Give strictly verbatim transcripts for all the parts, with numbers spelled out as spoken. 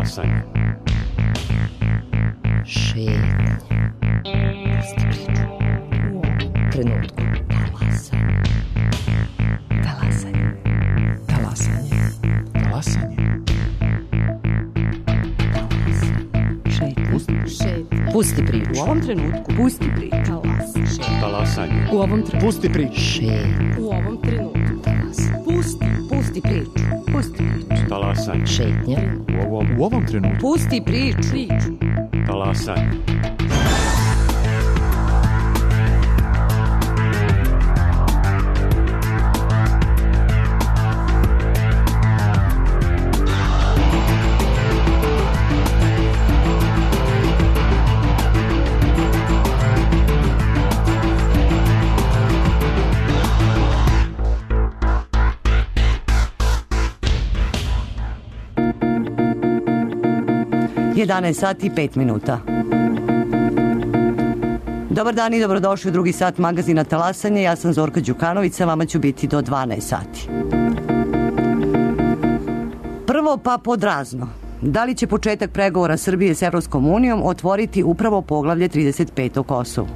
Talasanje. Šetnja. Pusti priču. U ovom trenutku. Talasanje. Talasanje. Talasanje. Talasanje. Šetnja. Šetnja. Pusti priču. U ovom trenutku. Pusti priču. Talasanje. Talasanje. U ovom trenutku. Pusti priču. Šetnja. U ovom trenutku. Talasanje. Pusti. Pusti priču. Pusti priču. Talasanje. Šetnja. U ovom, U ovom trenutku. Pusti priču. Priču. talasanje. jedanaest sati i pet minuta. Dobar dan i dobrodošli u drugi sat magazina Talasanje. Ja sam Zorka Đukanović, sa vama ću biti do dvanaest sati. Prvo pa pod razno. Da li će početak pregovora Srbije s Evropskom unijom otvoriti upravo poglavlje trideset pet o Kosovu?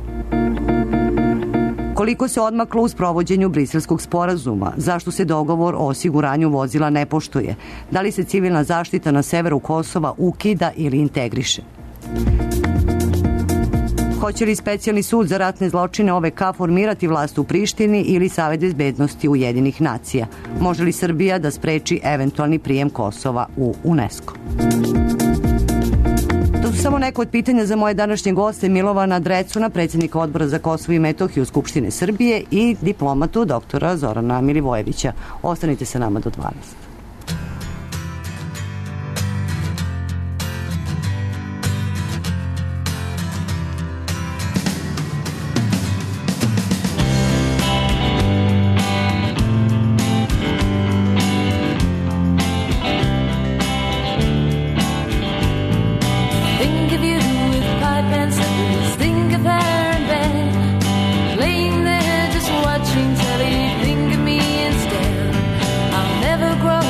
Koliko se odmaklo u sprovođenju Briselskog sporazuma? Zašto se dogovor o osiguranju vozila ne poštuje? Da li se civilna zaštita na severu Kosova ukida ili integriše? Hoće li specijalni sud za ratne zločine O V K formirati vlast u Prištini ili Savet bezbednosti Ujedinjenih nacija? Može li Srbija da spreči eventualni prijem Kosova u UNESCO? To su samo neko od pitanja za moje današnje goste, Milovana Drecuna, predsjednika Odbora za Kosovo i Metohiju Skupštine Srbije, i diplomatu doktora Zorana Milivojevića. Ostanite sa nama do dvanaest. Grow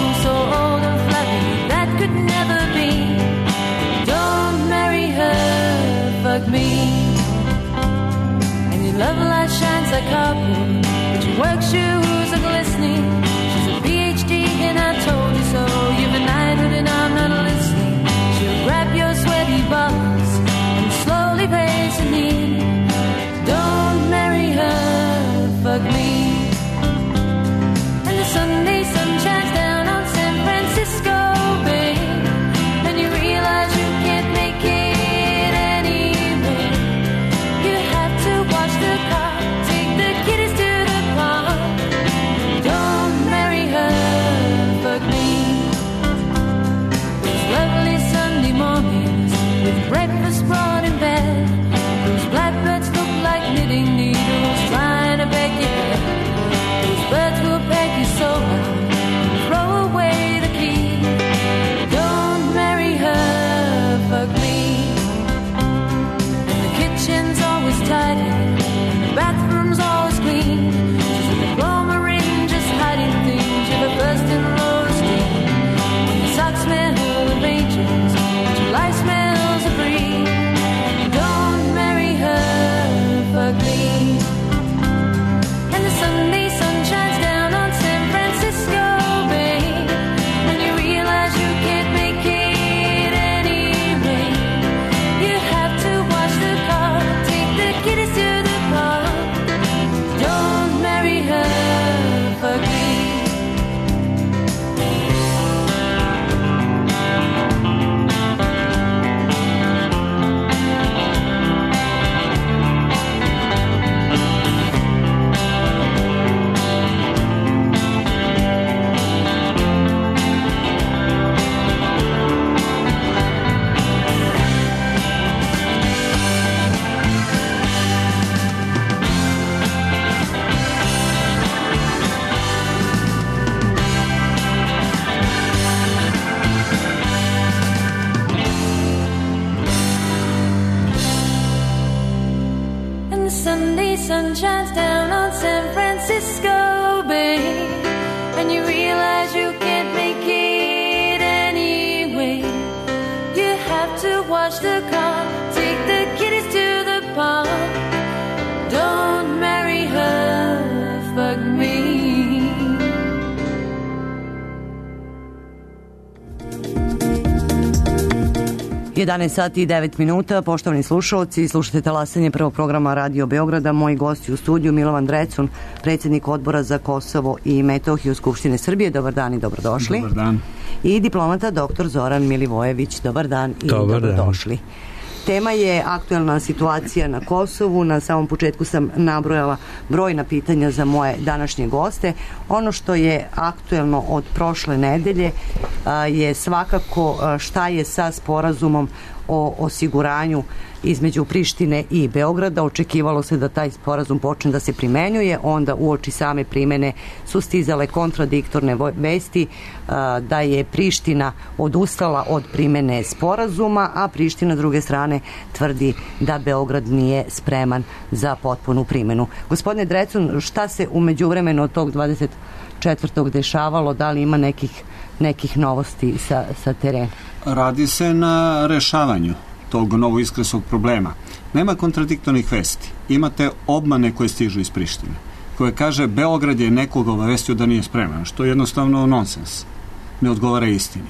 jedanaest sati i devet minuta, poštovani slušalci, slušate talasanje prvog programa Radio Beograda. Moji gosti u studiju Milovan Drecun, predsjednik Odbora za Kosovo i Metohiju Skupštine Srbije. Dobar dan i dobrodošli. Dobar dan. I diplomata doktor Zoran Milivojević. Dobar dan i Dobar dobrodošli. Tema je aktuelna situacija na Kosovu. Na samom početku sam nabrojala brojna pitanja za moje današnje goste. Ono što je aktuelno od prošle nedelje je svakako šta je sa sporazumom o osiguranju između Prištine i Beograda. Očekivalo se da taj sporazum počne da se primenjuje, onda uoči same primene su stizale kontradiktorne vesti da je Priština odustala od primene sporazuma, a Priština s druge strane tvrdi da Beograd nije spreman za potpunu primenu. Gospodine Drecun, šta se u međuvremenu od tog dvadeset četvrtog dešavalo? Da li ima nekih, nekih novosti sa, sa terena? Radi se na rešavanju tog novoiskresog problema. Nema kontradiktornih vesti. Imate obmane koje stižu iz Prištine, koje kaže Beograd je nekoga obavestio da nije spreman, što je jednostavno nonsens. Ne odgovara istini.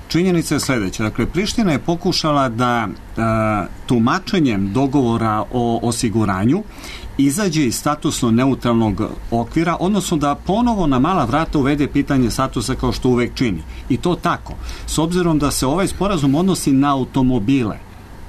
Činjenica je sledeća. Dakle, Priština je pokušala da a, tumačenjem dogovora o osiguranju izađe iz statusno neutralnog okvira, odnosno da ponovo na mala vrata uvede pitanje statusa kao što uvek čini. I to tako. S obzirom da se ovaj sporazum odnosi na automobile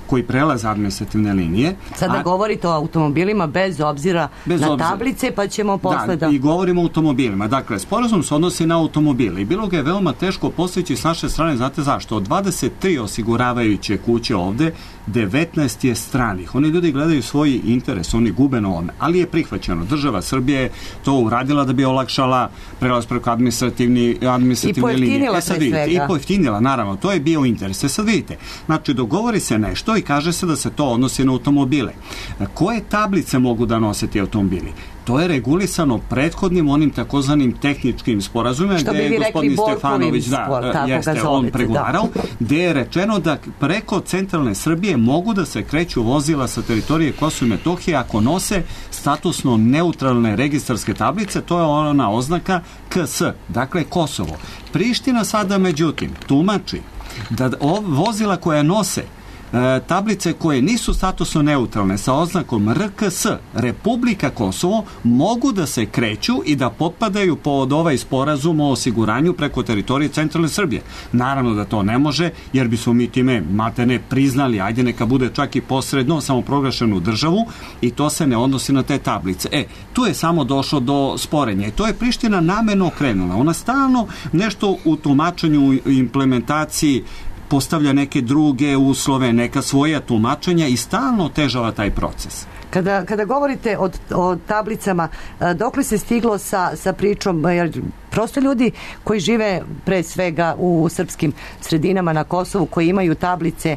koji prelaze administrativne linije. Sada a, govorite o automobilima bez obzira bez na obzira. tablice, pa ćemo posle da... Da, i govorimo o automobilima. Dakle, sporazum se odnosi na automobile i bilo ga je veoma teško postići s naše strane. Znate zašto? Od dvadeset tri osiguravajuće kuće ovde, devetnaest je stranih. Oni ljudi gledaju svoj interes, oni gube na ovome, ali je prihvaćeno. Država Srbije je to uradila da bi olakšala prelaz preko administrativni, administrativne linije. I pojeftinila e, sad vidite, svega. I pojeftinila, naravno. To je bio interes. E sad vidite, znači dogovori se nešto i kaže se da se to odnosi na automobile. Koje tablice mogu da nose ti automobili? To je regulisano prethodnim onim takozvanim tehničkim sporazumima gde je gospodin Stefanović da, jeste on pregovarao, da. Gde je rečeno da preko centralne Srbije mogu da se kreću vozila sa teritorije Kosova i Metohije ako nose statusno neutralne registarske tablice, to je ona oznaka K S, dakle Kosovo. Priština sada međutim tumači da vozila koja nose E, tablice koje nisu statusno neutralne sa oznakom R K S, Republika Kosovo, mogu da se kreću i da potpadaju pod ovaj sporazum o osiguranju preko teritorije centralne Srbije. Naravno da to ne može, jer bismo mi time mate ne priznali, ajde neka bude čak i posredno samoproglašenu državu i to se ne odnosi na te tablice. E, tu je samo došlo do sporenja i to je Priština namerno okrenula. Ona stalno nešto u tumačenju i implementaciji postavlja neke druge uslove, neka svoja tumačenja i stalno otežava taj proces. Kada, kada govorite o, o tablicama, dokle se stiglo sa, sa pričom, jer prosto ljudi koji žive pre svega u srpskim sredinama na Kosovu, koji imaju tablice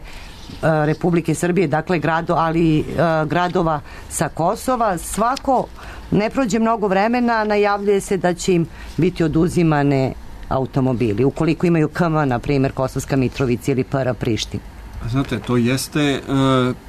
Republike Srbije, dakle grado, ali gradova sa Kosova, svako ne prođe mnogo vremena, najavljuje se da će im biti oduzimane automobili, ukoliko imaju K M, na primjer Kosovska Mitrovica ili P R Priština. Znate, to jeste e,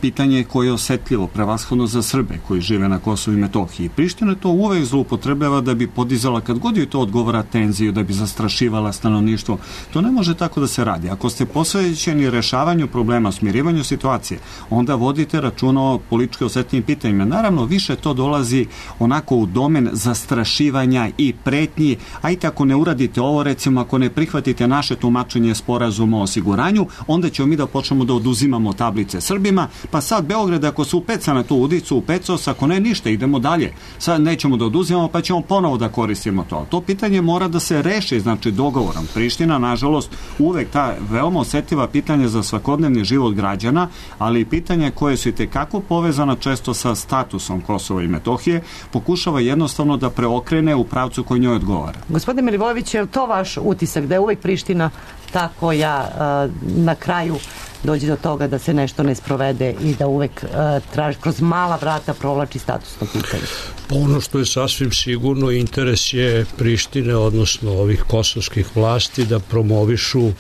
pitanje koje je osetljivo, prevashodno za Srbe koji žive na Kosovu i Metohiji. Priština to uvek zloupotrebljava da bi podizala, kad god joj to odgovara, tenziju, da bi zastrašivala stanovništvo. To ne može tako da se radi. Ako ste posvećeni rešavanju problema, smirivanju situacije, onda vodite računa o politički osetljivim pitanjima. Naravno, više to dolazi onako u domen zastrašivanja i pretnji, a i ako ne uradite ovo, recimo, ako ne prihvatite naše tumačenje sporazuma o osiguranju, onda ćemo mi da počnemo da oduzimamo tablice Srbima, pa sad Beograd ako se upeca na tu udicu, upecao se, ako ne ništa, idemo dalje. Sad nećemo da oduzimamo, pa ćemo ponovo da koristimo to. To pitanje mora da se reši, znači dogovorom. Priština, nažalost, uvek ta veoma osetljiva pitanja za svakodnevni život građana, ali i pitanja koje su i tekako povezana često sa statusom Kosova i Metohije, pokušava jednostavno da preokrene u pravcu koji njoj odgovara. Gospodine Milivojević, je li to vaš utisak da je uvek Priština ta koja na kraju dođe do toga da se nešto ne sprovede i da uvek uh, traži, kroz mala vrata provlači statusno pitanje? Ono što je sasvim sigurno, interes je Prištine, odnosno ovih kosovskih vlasti, da promovišu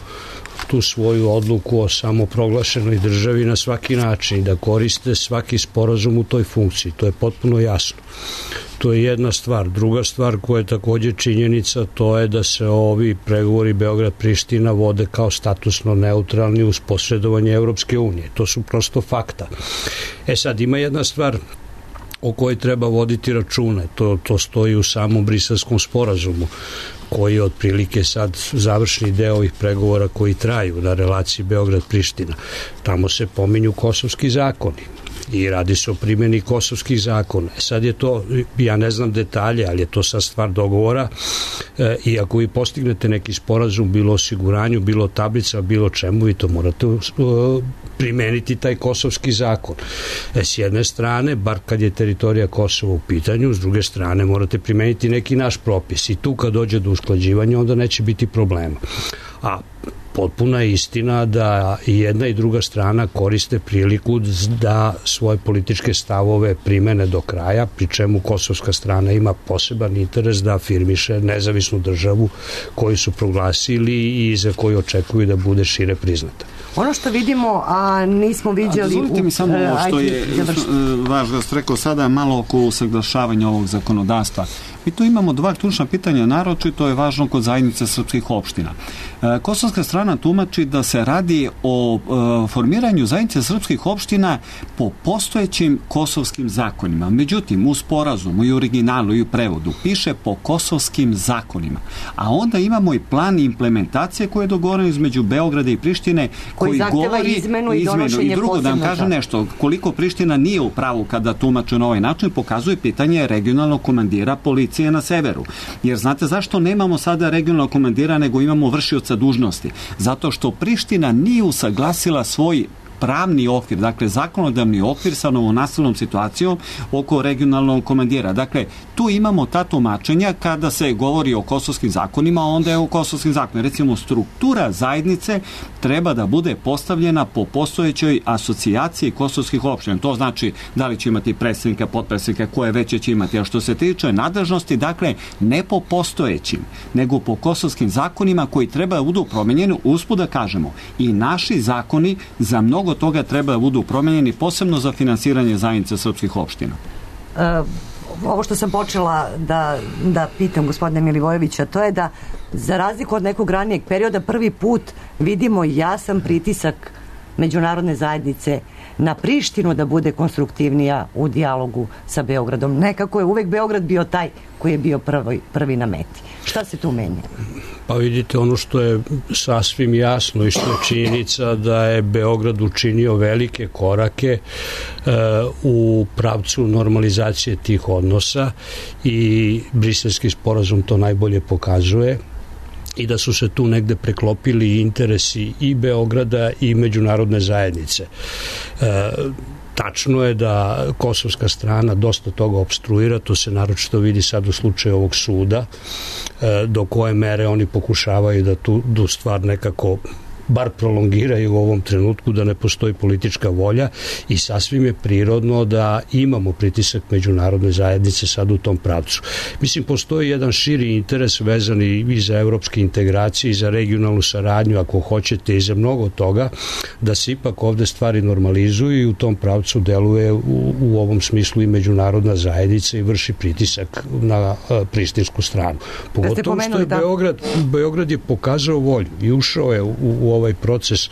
tu svoju odluku o samoproglašenoj državi na svaki način i da koriste svaki sporazum u toj funkciji. To je potpuno jasno. To je jedna stvar. Druga stvar koja je također činjenica, to je da se ovi pregovori Beograd-Priština vode kao statusno neutralni uz posredovanje Evropske unije. To su prosto fakta. E sad, ima jedna stvar o kojoj treba voditi račune. To, to stoji u samom Briselskom sporazumu, koji je otprilike sad završni deo ovih pregovora koji traju na relaciji Beograd-Priština. Tamo se pominju kosovski zakoni i radi se o primjeni kosovskih zakona. Sad je to, ja ne znam detalje, ali je to sad stvar dogovora e, i ako vi postignete neki sporazum, bilo osiguranju, bilo tablica, bilo čemu, vi to morate uh, primeniti taj kosovski zakon. E, s jedne strane, bar kad je teritorija Kosova u pitanju, s druge strane morate primeniti neki naš propis i tu kad dođe do usklađivanja, onda neće biti problema. A potpuna je istina da i jedna i druga strana koriste priliku da svoje političke stavove primene do kraja, pri čemu kosovska strana ima poseban interes da afirmiše nezavisnu državu koju su proglasili i za koju očekuju da bude šire priznata. Ono što vidimo, a nismo viđali... Dozvolite mi samo ovo što je važno da ste rekao sada, malo oko usaglašavanja ovog zakonodavstva. Mi tu imamo dva ključna pitanja, naročito je važno kod zajednice srpskih opština. Kosovska strana tumači da se radi o formiranju zajednice srpskih opština po postojećim kosovskim zakonima. Međutim, u sporazumu i u originalu i u prevodu piše po kosovskim zakonima. A onda imamo i plan implementacije koje je dogovoren između Beograda i Prištine koji, koji govori izmenu i donošenje i drugo, da vam kažem zakona. nešto, koliko Priština nije u pravu kada tumače na ovaj način, pokazuje pitanje regionalnog komandira policije na severu. Jer znate zašto nemamo sada regionalnog komandira nego imamo vršioca dužnosti? Zato što Priština nije usaglasila svoj pravni okvir, dakle zakonodavni okvir sa novonastalnom situacijom oko regionalnog komandira. Dakle, tu imamo ta tumačenja kada se govori o kosovskim zakonima, onda je o kosovskim zakonima. Recimo, struktura zajednice treba da bude postavljena po postojećoj asocijaciji kosovskih opština. To znači da li će imati predsjednika, potpredsjednika, koje veće će imati. A što se tiče nadležnosti, dakle, ne po postojećim, nego po kosovskim zakonima koji treba da budu promenjeni, usput da kažemo. I naši zakoni za mnogo toga treba da budu promenjeni, posebno za finansiranje zajednice srpskih opština. Uh, ovo što sam počela da, da pitam gospodina Milivojevića, to je da za razliku od nekog ranijeg perioda prvi put vidimo jasan pritisak međunarodne zajednice na Prištinu da bude konstruktivnija u dijalogu sa Beogradom. Nekako je uvek Beograd bio taj koji je bio prvi, prvi na meti. Šta se tu menja? Pa vidite, ono što je sasvim jasno i što je činjenica da je Beograd učinio velike korake e, u pravcu normalizacije tih odnosa i Briselski sporazum to najbolje pokazuje i da su se tu negde preklopili interesi i Beograda i međunarodne zajednice. E, Tačno je da kosovska strana dosta toga opstruira, to se naročito vidi sad u slučaju ovog suda, do koje mere oni pokušavaju da tu, tu stvar nekako bar prolongiraju u ovom trenutku, da ne postoji politička volja i sasvim je prirodno da imamo pritisak međunarodne zajednice sad u tom pravcu. Mislim, postoji jedan širi interes vezan i za evropske integracije i za regionalnu saradnju, ako hoćete, i za mnogo toga, da se ipak ovde stvari normalizuju i u tom pravcu deluje u, u ovom smislu i međunarodna zajednica i vrši pritisak na uh, prištinsku stranu. Pogotovo što je Beograd, Beograd je pokazao volju i ušao je u, u ovaj proces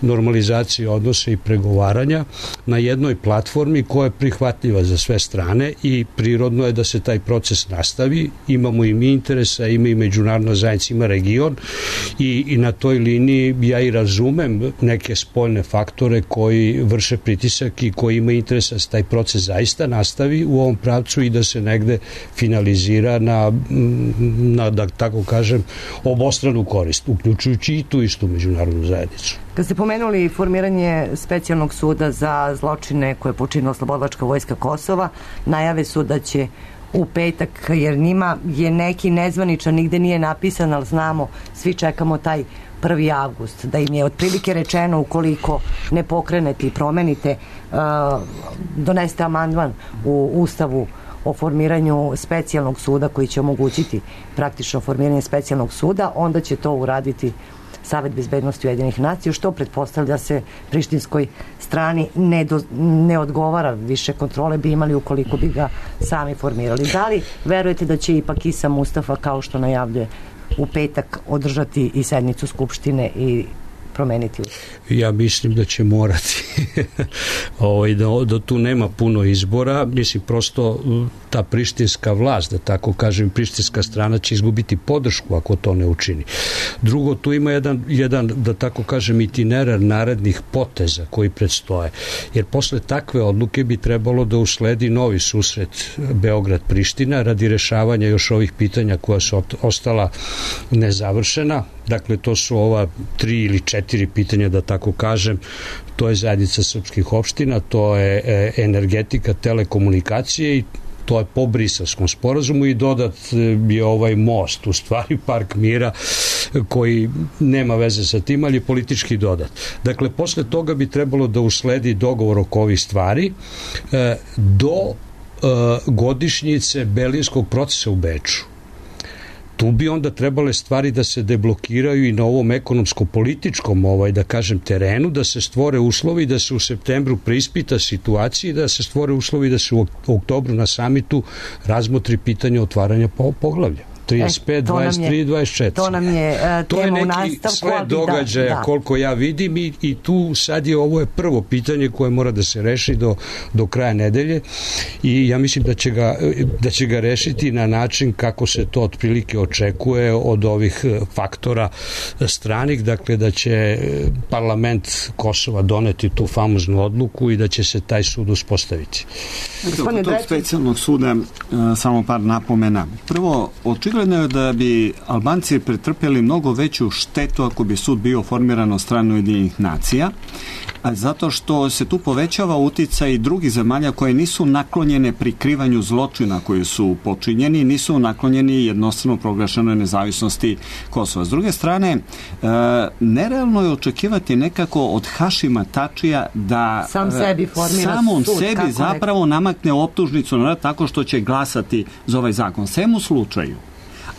normalizacije odnosa i pregovaranja na jednoj platformi koja je prihvatljiva za sve strane i prirodno je da se taj proces nastavi. Imamo i mi interesa, ima i međunarodna zajednica, ima region i, i na toj liniji ja i razumem neke spoljne faktore koji vrše pritisak i koji ima interesa da se taj proces zaista nastavi u ovom pravcu i da se negde finalizira na, na da tako kažem, obostranu korist, uključujući i tu istu međunarodnu zajednicu. Kad ste pomenuli formiranje specijalnog suda za zločine koje je počinila Oslobodilačka vojska Kosova, najave su da će u petak, jer njima je neki nezvaničan, nigde nije napisan, ali znamo, svi čekamo taj prvi avgust, da im je otprilike rečeno ukoliko ne pokrenete i promenite, uh, doneste amandman u Ustavu o formiranju specijalnog suda koji će omogućiti praktično formiranje specijalnog suda, onda će to uraditi Savet bezbednosti Ujedinjenih nacija, što pretpostavlja se prištinskoj strani ne, do, ne odgovara, više kontrole bi imali ukoliko bi ga sami formirali. Da li verujete da će ipak Isa Mustafa, kao što najavljuje, u petak održati i sednicu Skupštine i promeniti? Ja mislim da će morati ovaj, da, da tu nema puno izbora. Mislim, prosto ta prištinska vlast, da tako kažem, prištinska strana će izgubiti podršku ako to ne učini. Drugo, tu ima jedan, jedan da tako kažem, itinerar narednih poteza koji predstoje. Jer posle takve odluke bi trebalo da usledi novi susret Beograd-Priština radi rešavanja još ovih pitanja koja su ostala nezavršena. Dakle, to su ova tri ili četiri pitanja, da tako kažem. To je zajednica srpskih opština, to je energetika, telekomunikacije i to je po Briselskom sporazumu i dodat je ovaj most, u stvari Park mira, koji nema veze sa tim, ali je politički dodat. Dakle, posle toga bi trebalo da usledi dogovor oko ovih stvari do godišnjice Berlinskog procesa u Beču. Tu bi onda trebale stvari da se deblokiraju i na ovom ekonomsko-političkom, ovaj, da kažem, terenu, da se stvore uslovi da se u septembru preispita situacija i da se stvore uslovi da se u oktobru na samitu razmotri pitanje otvaranja poglavlja. trideset pet, dvadeset tri, dvadeset četiri. To nam je uh, to tema je u neki nastavku. sled događaja da, da. Koliko ja vidim i, i tu sad je ovo je prvo pitanje koje mora da se reši do, do kraja nedelje i ja mislim da će, ga, da će ga rešiti na način kako se to otprilike očekuje od ovih faktora stranih, dakle da će parlament Kosova doneti tu famoznu odluku i da će se taj sud uspostaviti. Od tog specijalnog suda samo par napomena. Prvo, očigledno je da bi Albanci pretrpjeli mnogo veću štetu ako bi sud bio formiran od strane Ujedinjenih nacija, a zato što se tu povećava uticaj drugih zemalja koje nisu naklonjene prikrivanju zločina koji su počinjeni, nisu naklonjeni jednostavno proglašenoj nezavisnosti Kosova. S druge strane, e, nerealno je očekivati nekako od Hašima Tačija da Sam sebi formira samom sud, sebi zapravo nek... namakne optužnicu na tako što će glasati za ovaj zakon. Svem u slučaju,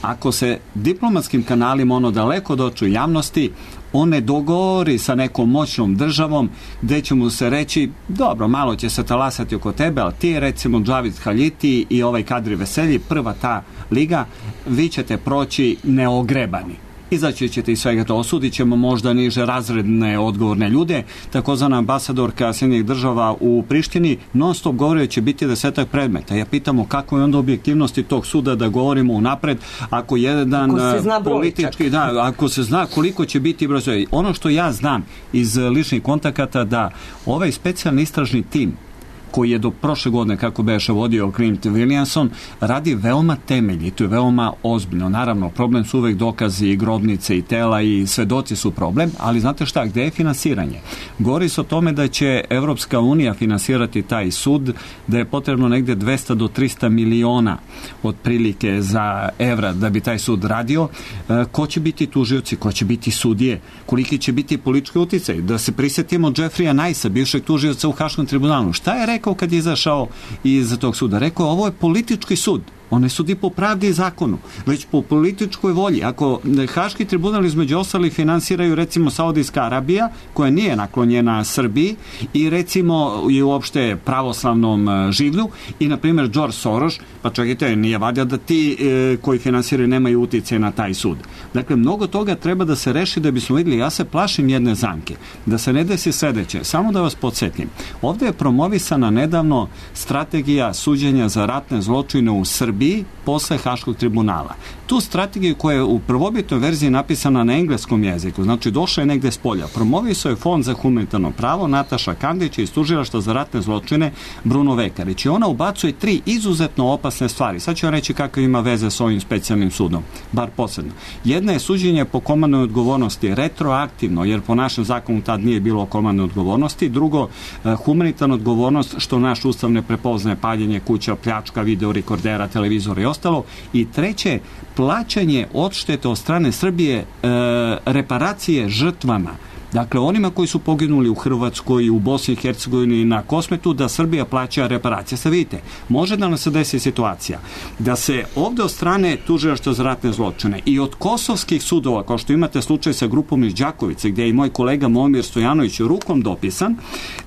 ako se diplomatskim kanalima ono daleko dođe u javnosti, on ne dogovori sa nekom moćnom državom gde će mu se reći, dobro, malo će se talasati oko tebe, ali ti recimo Džavid Haljiti i ovaj Kadri Veselji, prva ta liga, vi ćete proći neogrebani. Izaći ćete iz svega to, osudit ćemo možda niže razredne odgovorne ljude. Takozvana ambasadorka Sjedinjenih država u Prištini non stop govori će biti desetak predmeta. Ja pitamo kako je onda objektivnosti tog suda da govorimo unapred ako jedan ako politički, da, ako se zna koliko će biti broj. Ono što ja znam iz ličnih kontakata da ovaj specijalni istražni tim koji je do prošle godine, kako beše vodio Clint Williamson, radi veoma temeljito i veoma ozbiljno. Naravno, problem su uvek dokazi i grobnice i tela i svedoci su problem, ali znate šta, gde je finansiranje? Govori se o tome da će Evropska unija finansirati taj sud, da je potrebno negde dvesta do trista miliona otprilike za evra da bi taj sud radio. E, ko će biti tužioci, ko će biti sudije, koliki će biti politički uticaj? Da se prisetimo Jeffreya Nicea, bivšeg tužioca u Haškom tribunalu. Šta je rekao kad je izašao iz tog suda? Rekao, ovo je politički sud. On ne sudi po pravdi i zakonu, već po političkoj volji. Ako Haški tribunal između ostalih finansiraju recimo Saudijska Arabija, koja nije naklonjena Srbiji i recimo i uopšte pravoslavnom življu i na primjer George Soros, pa čekajte, nije valjda da ti e, koji finansiraju nemaju utjecaj na taj sud. Dakle, mnogo toga treba da se reši da bismo vidjeli. Ja se plašim jedne zamke, da se ne desi sledeće. Samo da vas podsjetim. Ovdje je promovisana nedavno strategija suđenja za ratne zločine u Srbiji posle Haškog tribunala. Tu strategiju koja je u prvobitnoj verziji napisana na engleskom jeziku, znači došla je negde s polja. Promovisao je Fond za humanitarno pravo Nataša Kandić iz Tužilaštva za ratne zločine Bruno Vekarić. I ona ubacuje tri izuzetno opasne stvari. Sad ću vam reći kakve ima veze s ovim specijalnim sudom, bar posebno. Jedna je suđenje po komandnoj odgovornosti retroaktivno, jer po našem zakonu tad nije bilo komandne odgovornosti. Drugo, humanitarna odgovornost, što naš ustav ne prepoznaje, paljenje kuća, pljačka, videorekordera, televizora i ostalo. I treće, plaćanje odštete od strane Srbije, e, reparacije žrtvama dakle onima koji su poginuli u Hrvatskoj, u Bosni i Hercegovini, na Kosmetu, da Srbija plaća reparacije. Sad vidite, može da nam se desi situacija da se ovde od strane tužilaštva za ratne zločine i od kosovskih sudova, kao što imate slučaj sa grupom iz Đakovice, gdje je i moj kolega Momir Stojanović rukom dopisan,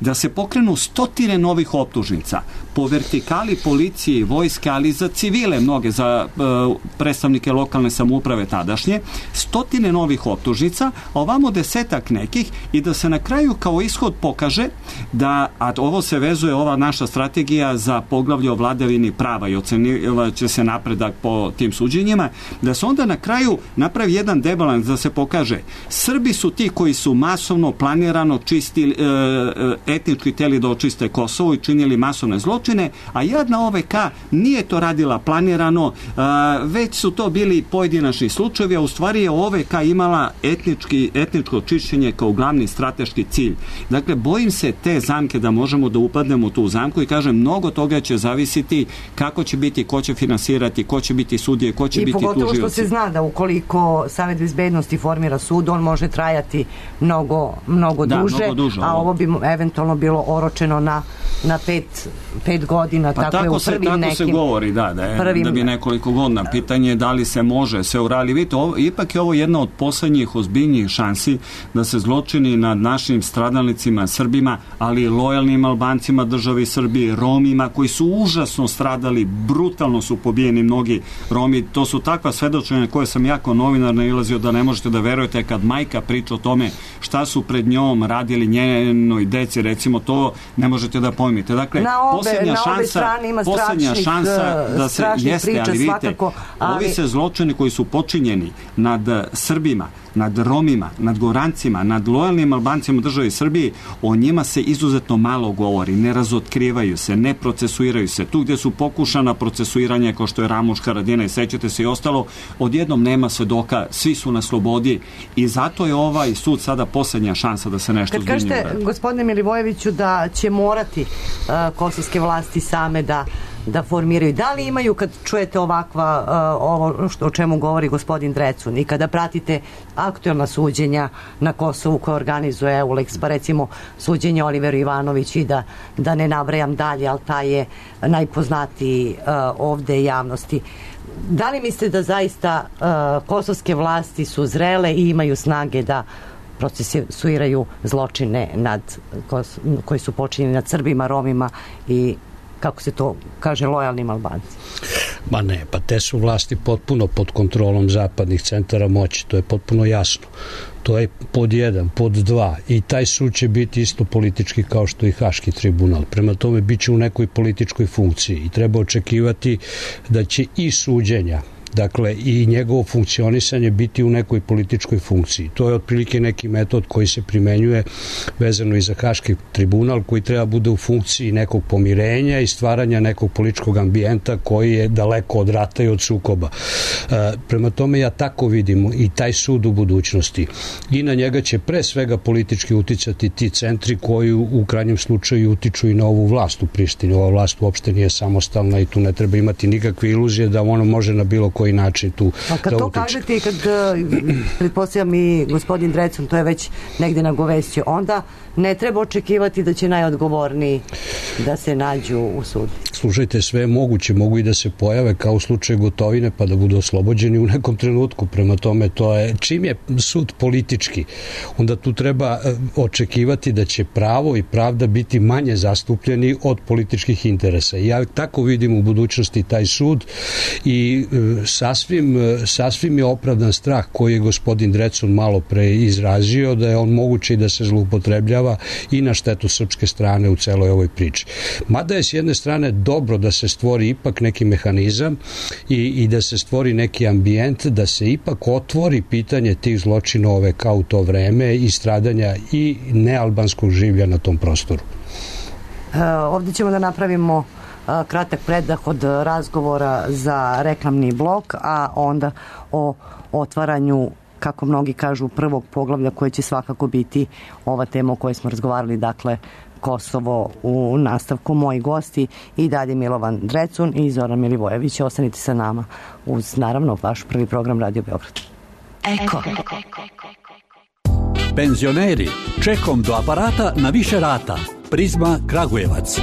da se pokrenu stotine novih optužnica po vertikali policije i vojske, ali za civile mnoge, za uh, predstavnike lokalne samouprave tadašnje, stotine novih optužnica, a ovamo desetak nekih, i da se na kraju kao ishod pokaže da, a ovo se vezuje, ova naša strategija za poglavlje o vladavini prava i ocenivaće se napredak po tim suđenjima, da se onda na kraju napravi jedan debalans, da se pokaže Srbi su ti koji su masovno, planirano čistili, e, etnički teli da očiste Kosovo i činili masovne zločine, a jadna O V K nije to radila planirano, a, već su to bili pojedinačni slučajevi, a u stvari je O V K imala etnički, etničko čišćenje kao glavni strateški cilj. Dakle, bojim se te zamke da možemo da upadnemo u tu zamku i kažem, mnogo toga će zavisiti kako će biti, ko će finansirati, ko će biti sudije, ko će I biti tužioci. I pogotovo što se zna da ukoliko Savet bezbednosti formira sud, on može trajati mnogo, mnogo, da, duže, mnogo duže, a ovo bi eventualno bilo oročeno na, na pet, pet godina, pa tako je u se, prvim tako nekim... se govori, da, da, je, prvim, da bi nekoliko godina. Pitanje je da li se može sve uraditi. Vidite, ovo, ipak je ovo jedna od poslednjih ozbiljnijih šansi da se zločini nad našim stradalnicima, Srbima, ali i lojalnim Albancima državi Srbije, Romima, koji su užasno stradali, brutalno su pobijeni mnogi Romi. To su takva svedočenja koje sam jako novinar nailazio da ne možete da verujete kad majka priča o tome šta su pred njom radili njenoj deci, recimo, to ne možete da pojmite. Dakle, na obe, posljednja na obe šansa, strane ima posljednja šansa da se jeste, priča, ali vidite, svakako, ali... ovi se zločini koji su počinjeni nad Srbima, nad Romima, nad Gorancima, nad lojalnim Albancima državi Srbije, o njima se izuzetno malo govori, ne razotkrivaju se, ne procesuiraju se. Tu gdje su pokušana procesuiranja, kao što je Ramuš, Haradina i sećate se i ostalo, odjednom nema svedoka, svi su na slobodi i zato je ovaj sud sada posljednja šansa da se nešto zbiljnije uradi. Kad kažete, gospodine Milivojeviću, da će morati uh, kosovske vlasti same da da formiraju. Da li imaju, kad čujete ovakva, uh, ovo što, o čemu govori gospodin Drecun, i kada pratite aktuelna suđenja na Kosovu koje organizuje Eulex, pa recimo suđenje Oliveru Ivanović i da, da ne nabrajam dalje, ali taj je najpoznatiji uh, ovde javnosti. Da li mislite da zaista uh, kosovske vlasti su zrele i imaju snage da procesuiraju zločine nad, koji su počinjeni nad Srbima, Romima i, kako se to kaže, lojalnim Albancima? Ma ne, pa te su vlasti potpuno pod kontrolom zapadnih centara moći, to je potpuno jasno. To je pod jedan, pod dva, i taj sud će biti isto politički kao što i Haški tribunal. Prema tome bit će u nekoj političkoj funkciji i treba očekivati da će i suđenja, dakle i njegovo funkcionisanje biti u nekoj političkoj funkciji. To je otprilike neki metod koji se primenjuje vezano i za Haški tribunal, koji treba bude u funkciji nekog pomirenja i stvaranja nekog političkog ambijenta koji je daleko od rata i od sukoba. E, prema tome ja tako vidim i taj sud u budućnosti. I na njega će pre svega politički uticati ti centri koji u, u krajnjem slučaju utiču i na ovu vlast u Prištini. Ova vlast uopšte nije samostalna i tu ne treba imati nikakve iluzije da ono može na bilo koji način tu da utiče. A kad to kažete i kad pretpostavljam i gospodin Drecun to je već negde nagovestio, onda ne treba očekivati da će najodgovorniji da se nađu u sudu. Slušajte, sve je moguće, mogu i da se pojave kao u slučaju Gotovine pa da budu oslobođeni u nekom trenutku. Prema tome, to je, čim je sud politički, onda tu treba očekivati da će pravo i pravda biti manje zastupljeni od političkih interesa. Ja tako vidim u budućnosti taj sud i sasvim, sasvim je opravdan strah koji je gospodin Drecun malo pre izrazio, da je on moguće i da se zloupotrebljava i na štetu srpske strane u celoj ovoj priči. Mada je s jedne strane dobro da se stvori ipak neki mehanizam i, i da se stvori neki ambijent, da se ipak otvori pitanje tih zločina O V K u to vreme i stradanja i nealbanskog življa na tom prostoru. E, ovdje ćemo da napravimo a, kratak predah od razgovora za reklamni blok, a onda o otvaranju, kako mnogi kažu, prvog poglavlja koje će svakako biti ova tema o kojoj smo razgovarali, dakle Kosovo u nastavku. Moji gosti i dalje Milovan Drecun i Zoran Milivojević. Ostanite sa nama uz, naravno, vaš prvi program Radio Beograd. Eko. Eko. Penzioneri, čekom do aparata na više rata. Prizma Kragujevac.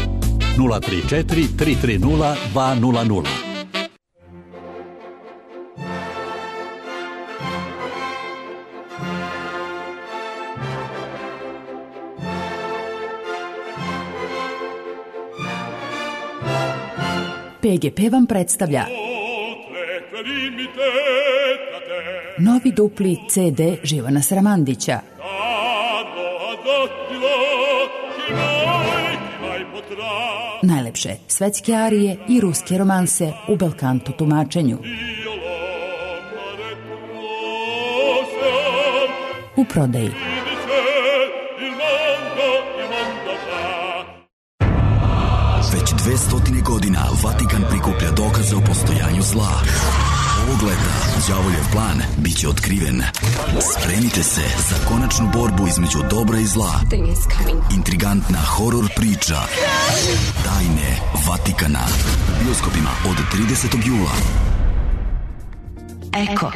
nula tri četiri tri tri nula dva nula nula. P G P vam predstavlja novi dupli C D Živana Sramandića. Najlepše svetske arije i ruske romanse u belkanto tumačenju. U prodaji. Već dve stotine godina Vatikan prikuplja dokaze o postojanju zla. Ovog leta đavoljev plan biće otkriven. Spremite se za konačnu borbu između dobra i zla. Intrigantna horor priča Tajne Vatikana u bioskopima od tridesetog jula. Eko.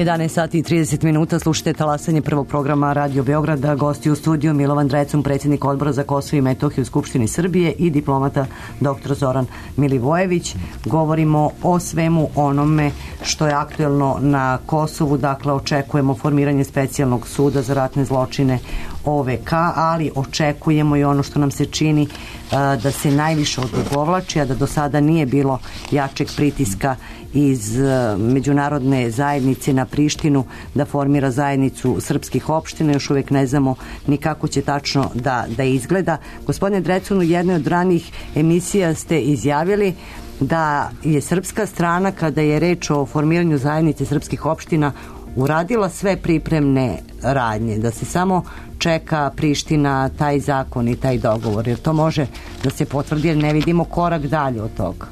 jedanaest sati i trideset minuta, slušajte talasanje prvog programa Radio Beograda. Gosti u studiju Milovan Drecun, predsjednik Odbora za Kosovo i Metohiju u Skupštini Srbije, i diplomata doktor Zoran Milivojević. Govorimo o svemu onome što je aktuelno na Kosovu. Dakle, očekujemo formiranje specijalnog suda za ratne zločine O V K, ali očekujemo i ono što nam se čini da se najviše odugovlači, a da do sada nije bilo jačeg pritiska iz međunarodne zajednice na Prištinu da formira zajednicu srpskih opština. Još uvijek ne znamo ni kako će tačno da, da izgleda. Gospodine Drecun, u jednoj od ranih emisija ste izjavili da je srpska strana, kada je reč o formiranju zajednice srpskih opština, uradila sve pripremne radnje, da se samo čeka Priština, taj zakon i taj dogovor, jer to može da se potvrdi, jer ne vidimo korak dalje od toga.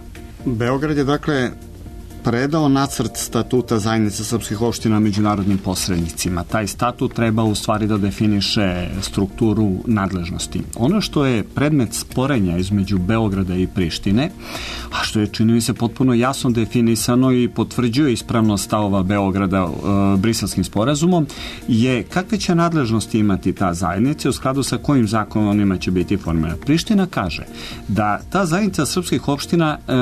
Beograd je dakle predao nacrt statuta zajednice srpskih opština međunarodnim posrednicima. Taj statut treba u stvari da definiše strukturu nadležnosti. Ono što je predmet sporenja između Beograda i Prištine, a što je, čini mi se, potpuno jasno definisano i potvrđuje ispravnost stavova Beograda e, Briselskim sporazumom, je kakve će nadležnosti imati ta zajednica, u skladu sa kojim zakonima će biti formirana. Priština kaže da ta zajednica srpskih opština e,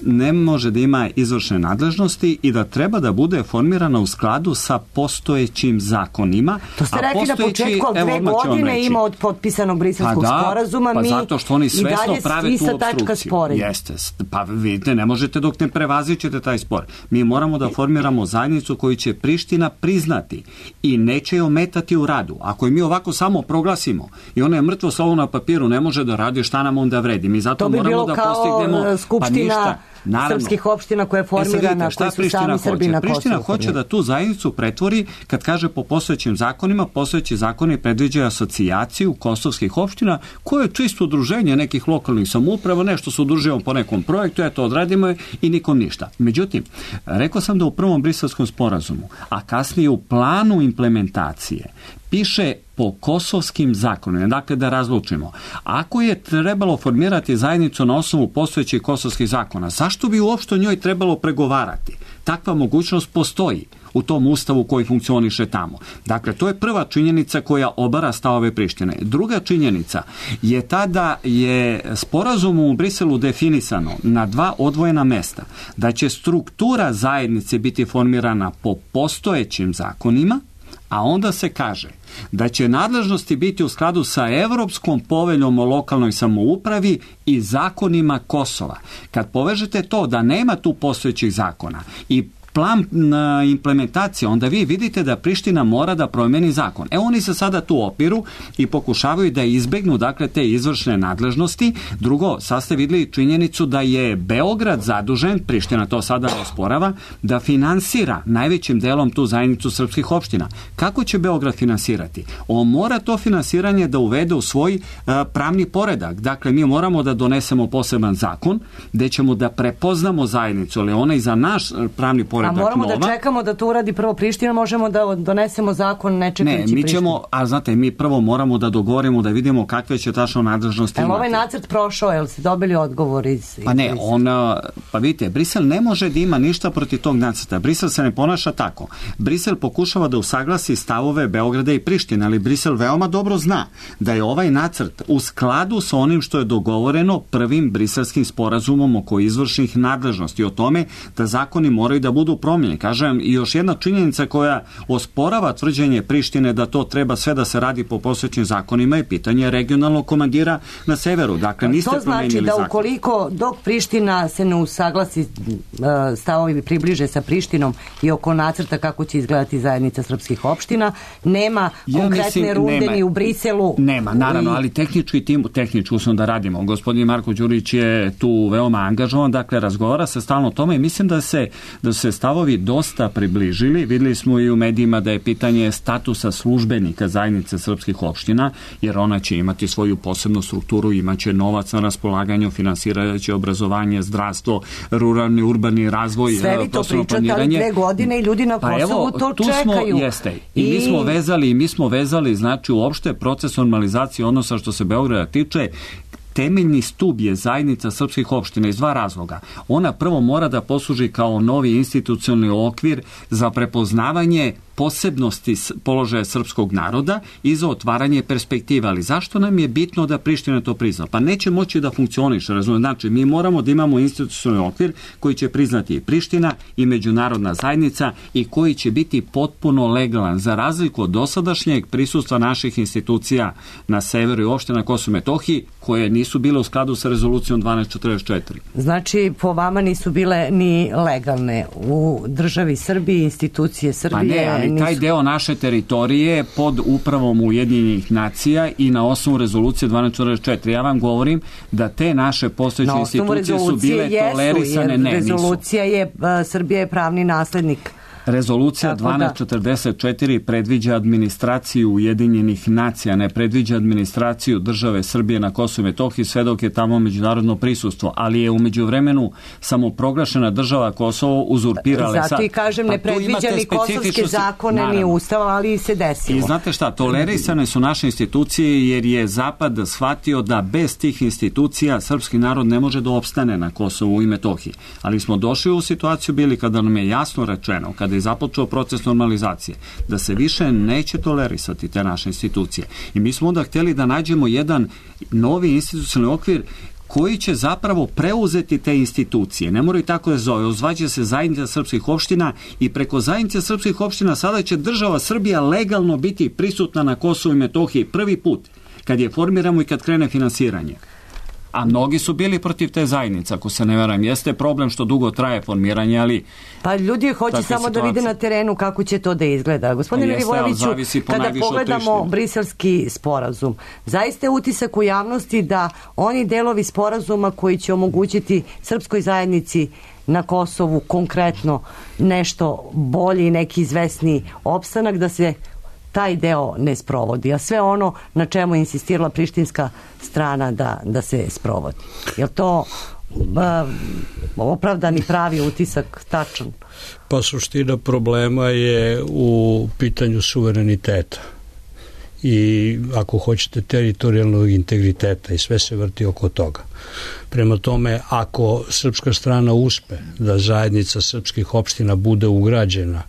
ne može da ima izvršne nadležnosti i da treba da bude formirana u skladu sa postojećim zakonima. To ste rekli na početku, ali dve godine ima od potpisanog Briselskog pa da, sporazuma, pa mi zato što oni svesno prave tu opstrukciju. Jeste. Pa vidite, ne možete dok ne prevazićete taj spor. Mi moramo da formiramo zajednicu koju će Priština priznati i neće je ometati u radu. Ako je mi ovako samo proglasimo i ono je mrtvo slovo na papiru, ne može da radi, šta nam onda vredi. Mi zato to bi moramo da postignemo... kao skupština pa ništa, srpskih opština koja je formirana, e koji su sami Srbi na Kosovu. Priština hoće da tu zajednicu pretvori, kad kaže po postojećim zakonima, postojeći zakoni predviđaju asocijaciju kosovskih opština, koje je čisto udruženje nekih lokalnih samouprava, nešto se udružujemo po nekom projektu, eto odradimo je i nikom ništa. Međutim, rekao sam da u prvom Briselskom sporazumu, a kasnije u planu implementacije, piše po kosovskim zakonima. Dakle, da razlučimo. Ako je trebalo formirati zajednicu na osnovu postojećih kosovskih zakona, zašto bi uopšte o njoj trebalo pregovarati? Takva mogućnost postoji u tom ustavu koji funkcioniše tamo. Dakle, to je prva činjenica koja obara stavove Prištine. Druga činjenica je ta da je sporazumom u Briselu definisano na dva odvojena mesta da će struktura zajednice biti formirana po postojećim zakonima, a onda se kaže da će nadležnosti biti u skladu sa Evropskom poveljom o lokalnoj samoupravi i zakonima Kosova. Kad povežete to da nema tu postojećih zakona i plan implementacije, onda vi vidite da Priština mora da promeni zakon. E, oni se sada tu opiru i pokušavaju da izbegnu, dakle, te izvršne nadležnosti. Drugo, sad ste videli činjenicu da je Beograd zadužen, Priština to sada osporava, da finansira najvećim delom tu zajednicu srpskih opština. Kako će Beograd finansirati? On mora to finansiranje da uvede u svoj uh, pravni poredak. Dakle, mi moramo da donesemo poseban zakon gde ćemo da prepoznamo zajednicu, ali ona i za naš pravni poredak napredak nova. A moramo nova. da čekamo da to uradi prvo Priština, možemo da donesemo zakon ne čekajući Prištinu. Ne, mi ćemo, a znate, mi prvo moramo da dogovorimo, da vidimo kakve će tačno nadležnosti imati. Ali ovaj nacrt prošao, jel ste dobili odgovor iz... Pa ne, iz... on, pa vidite, Brisel ne može da ima ništa protiv tog nacrta. Brisel se ne ponaša tako. Brisel pokušava da usaglasi stavove Beograda i Prištine, ali Brisel veoma dobro zna da je ovaj nacrt u skladu sa onim što je dogovoreno prvim briselskim sporazumom oko izvršnih nadležnosti, o tome da zakoni moraju da budu promijenjeni. Kažem, i još jedna činjenica koja osporava tvrđenje Prištine da to treba sve da se radi po postojećim zakonima je pitanje regionalnog komandira na severu. Dakle, niste to znači promenili da zakon. Ukoliko dok Priština se ne usaglasi stavovi približe sa Prištinom i oko nacrta kako će izgledati zajednica srpskih opština, nema ja konkretne mislim, runde nema, ni u Briselu. Nema, naravno, i... ali tehnički tim, tehnički usno da radimo. Gospodin Marko Đurić je tu veoma angažovan, dakle razgovara se stalno o tome i mislim da se, da se stavovi dosta približili. Videli smo i u medijima da je pitanje statusa službenika zajednice srpskih opština, jer ona će imati svoju posebnu strukturu, imaće novac na raspolaganju, finansirajuće obrazovanje, zdravstvo, ruralni, urbani razvoj, sve vi to pričate, ali dve godine i ljudi na Kosovu pa evo, to tu čekaju. Smo, jeste. I, I mi smo vezali, mi smo vezali, znači uopšte proces normalizacije odnosa što se Beograda tiče. Temeljni stub je zajednica srpskih opština iz dva razloga. Ona prvo mora da posluži kao novi institucionalni okvir za prepoznavanje posebnosti položaja srpskog naroda i za otvaranje perspektiva. Ali zašto nam je bitno da Priština to prizna? Pa neće moći da funkcioniše, razumije. Znači, mi moramo da imamo institucionalni okvir koji će priznati i Priština i međunarodna zajednica i koji će biti potpuno legalan, za razliku od dosadašnjeg prisustva naših institucija na severu i uopšte na Kosovu i Metohiji, koje nisu bile u skladu sa rezolucijom dvanaest četrdeset četiri. Znači, po vama nisu bile ni legalne u državi Srbiji, institucije Srbije. Pa ne, ali taj deo naše teritorije pod upravom Ujedinjenih nacija i na osnovu rezolucije dvanaest četrdeset četiri. Ja vam govorim da te naše postojeće institucije su bile tolerisane. Jesu, ne, rezolucija nisu. je, Srbija je pravni naslednik. Rezolucija dvanaest četrdeset četiri predviđa administraciju Ujedinjenih nacija, ne predviđa administraciju države Srbije na Kosovu i Metohiji sve dok je tamo međunarodno prisustvo, ali je u međuvremenu samoproglašena država Kosovo uzurpirala. Zato i kažem, ne predviđa ni kosovske zakone, naravno, ni ustava, ali se desilo. I znate šta, tolerisane su naše institucije jer je Zapad shvatio da bez tih institucija srpski narod ne može da opstane na Kosovu i Metohiji. Ali smo došli u situaciju bili kada nam je jasno rečeno, kada je započeo proces normalizacije, da se više neće tolerisati te naše institucije. I mi smo onda htjeli da nađemo jedan novi institucionalni okvir koji će zapravo preuzeti te institucije. Ne moraju tako da zove. Ozvaće se zajednica srpskih opština i preko zajednice srpskih opština sada će država Srbija legalno biti prisutna na Kosovu i Metohiji prvi put kad je formiramo i kad krene finansiranje. A mnogi su bili protiv te zajednice, ako se ne veram. Jeste problem što dugo traje formiranje, ali... Pa ljudi hoće samo situacije. Da vide na terenu kako će to da izgleda. Gospodine Milivojeviću, kada pogledamo briselski sporazum, zaista je utisak u javnosti da oni delovi sporazuma koji će omogućiti srpskoj zajednici na Kosovu konkretno nešto bolji, neki izvesni opstanak, da se taj deo ne sprovodi, a sve ono na čemu je insistirala prištinska strana da, da se sprovodi. Je to uh, opravdani pravi utisak, tačan? Pa suština problema je u pitanju suvereniteta i ako hoćete teritorijalnog integriteta i sve se vrti oko toga. Prema tome, ako srpska strana uspe da zajednica srpskih opština bude ugrađena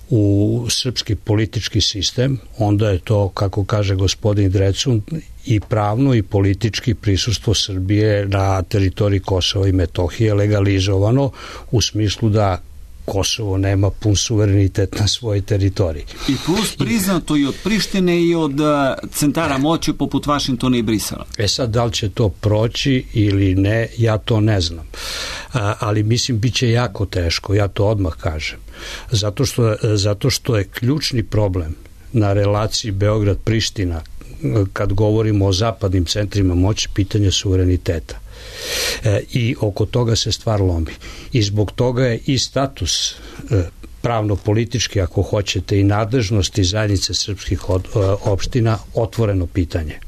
u srpski politički sistem, onda je to, kako kaže gospodin Drecun, i pravno i politički prisustvo Srbije na teritoriji Kosova i Metohije legalizovano u smislu da Kosovo nema pun suverenitet na svojoj teritoriji. I plus priznato i od Prištine i od uh, centara moći poput Vašingtona i Brisela. E sad, da li će to proći ili ne, ja to ne znam. A, ali mislim, bit će jako teško, ja to odmah kažem. Zato što, zato što je ključni problem na relaciji Beograd-Priština, kad govorimo o zapadnim centrima moći, pitanje suvereniteta. E, i oko toga se stvar lomi. I zbog toga je i status e, pravno-politički, ako hoćete, i nadležnosti zajednice srpskih od, e, opština otvoreno pitanje.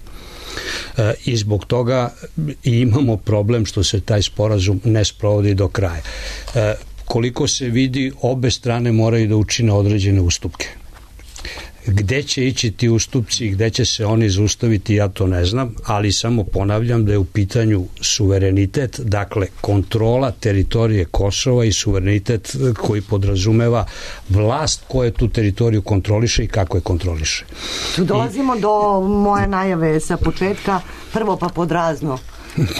E, I zbog toga i imamo problem što se taj sporazum ne sprovodi do kraja. E, koliko se vidi, obe strane moraju da učine određene ustupke. Gde će ići ti ustupci i gde će se oni zaustaviti, ja to ne znam, ali samo ponavljam da je u pitanju suverenitet, dakle kontrola teritorije Kosova i suverenitet koji podrazumeva vlast koja tu teritoriju kontroliše i kako je kontroliše. Tu dolazimo I... do moje najave sa početka, prvo pa podrazno.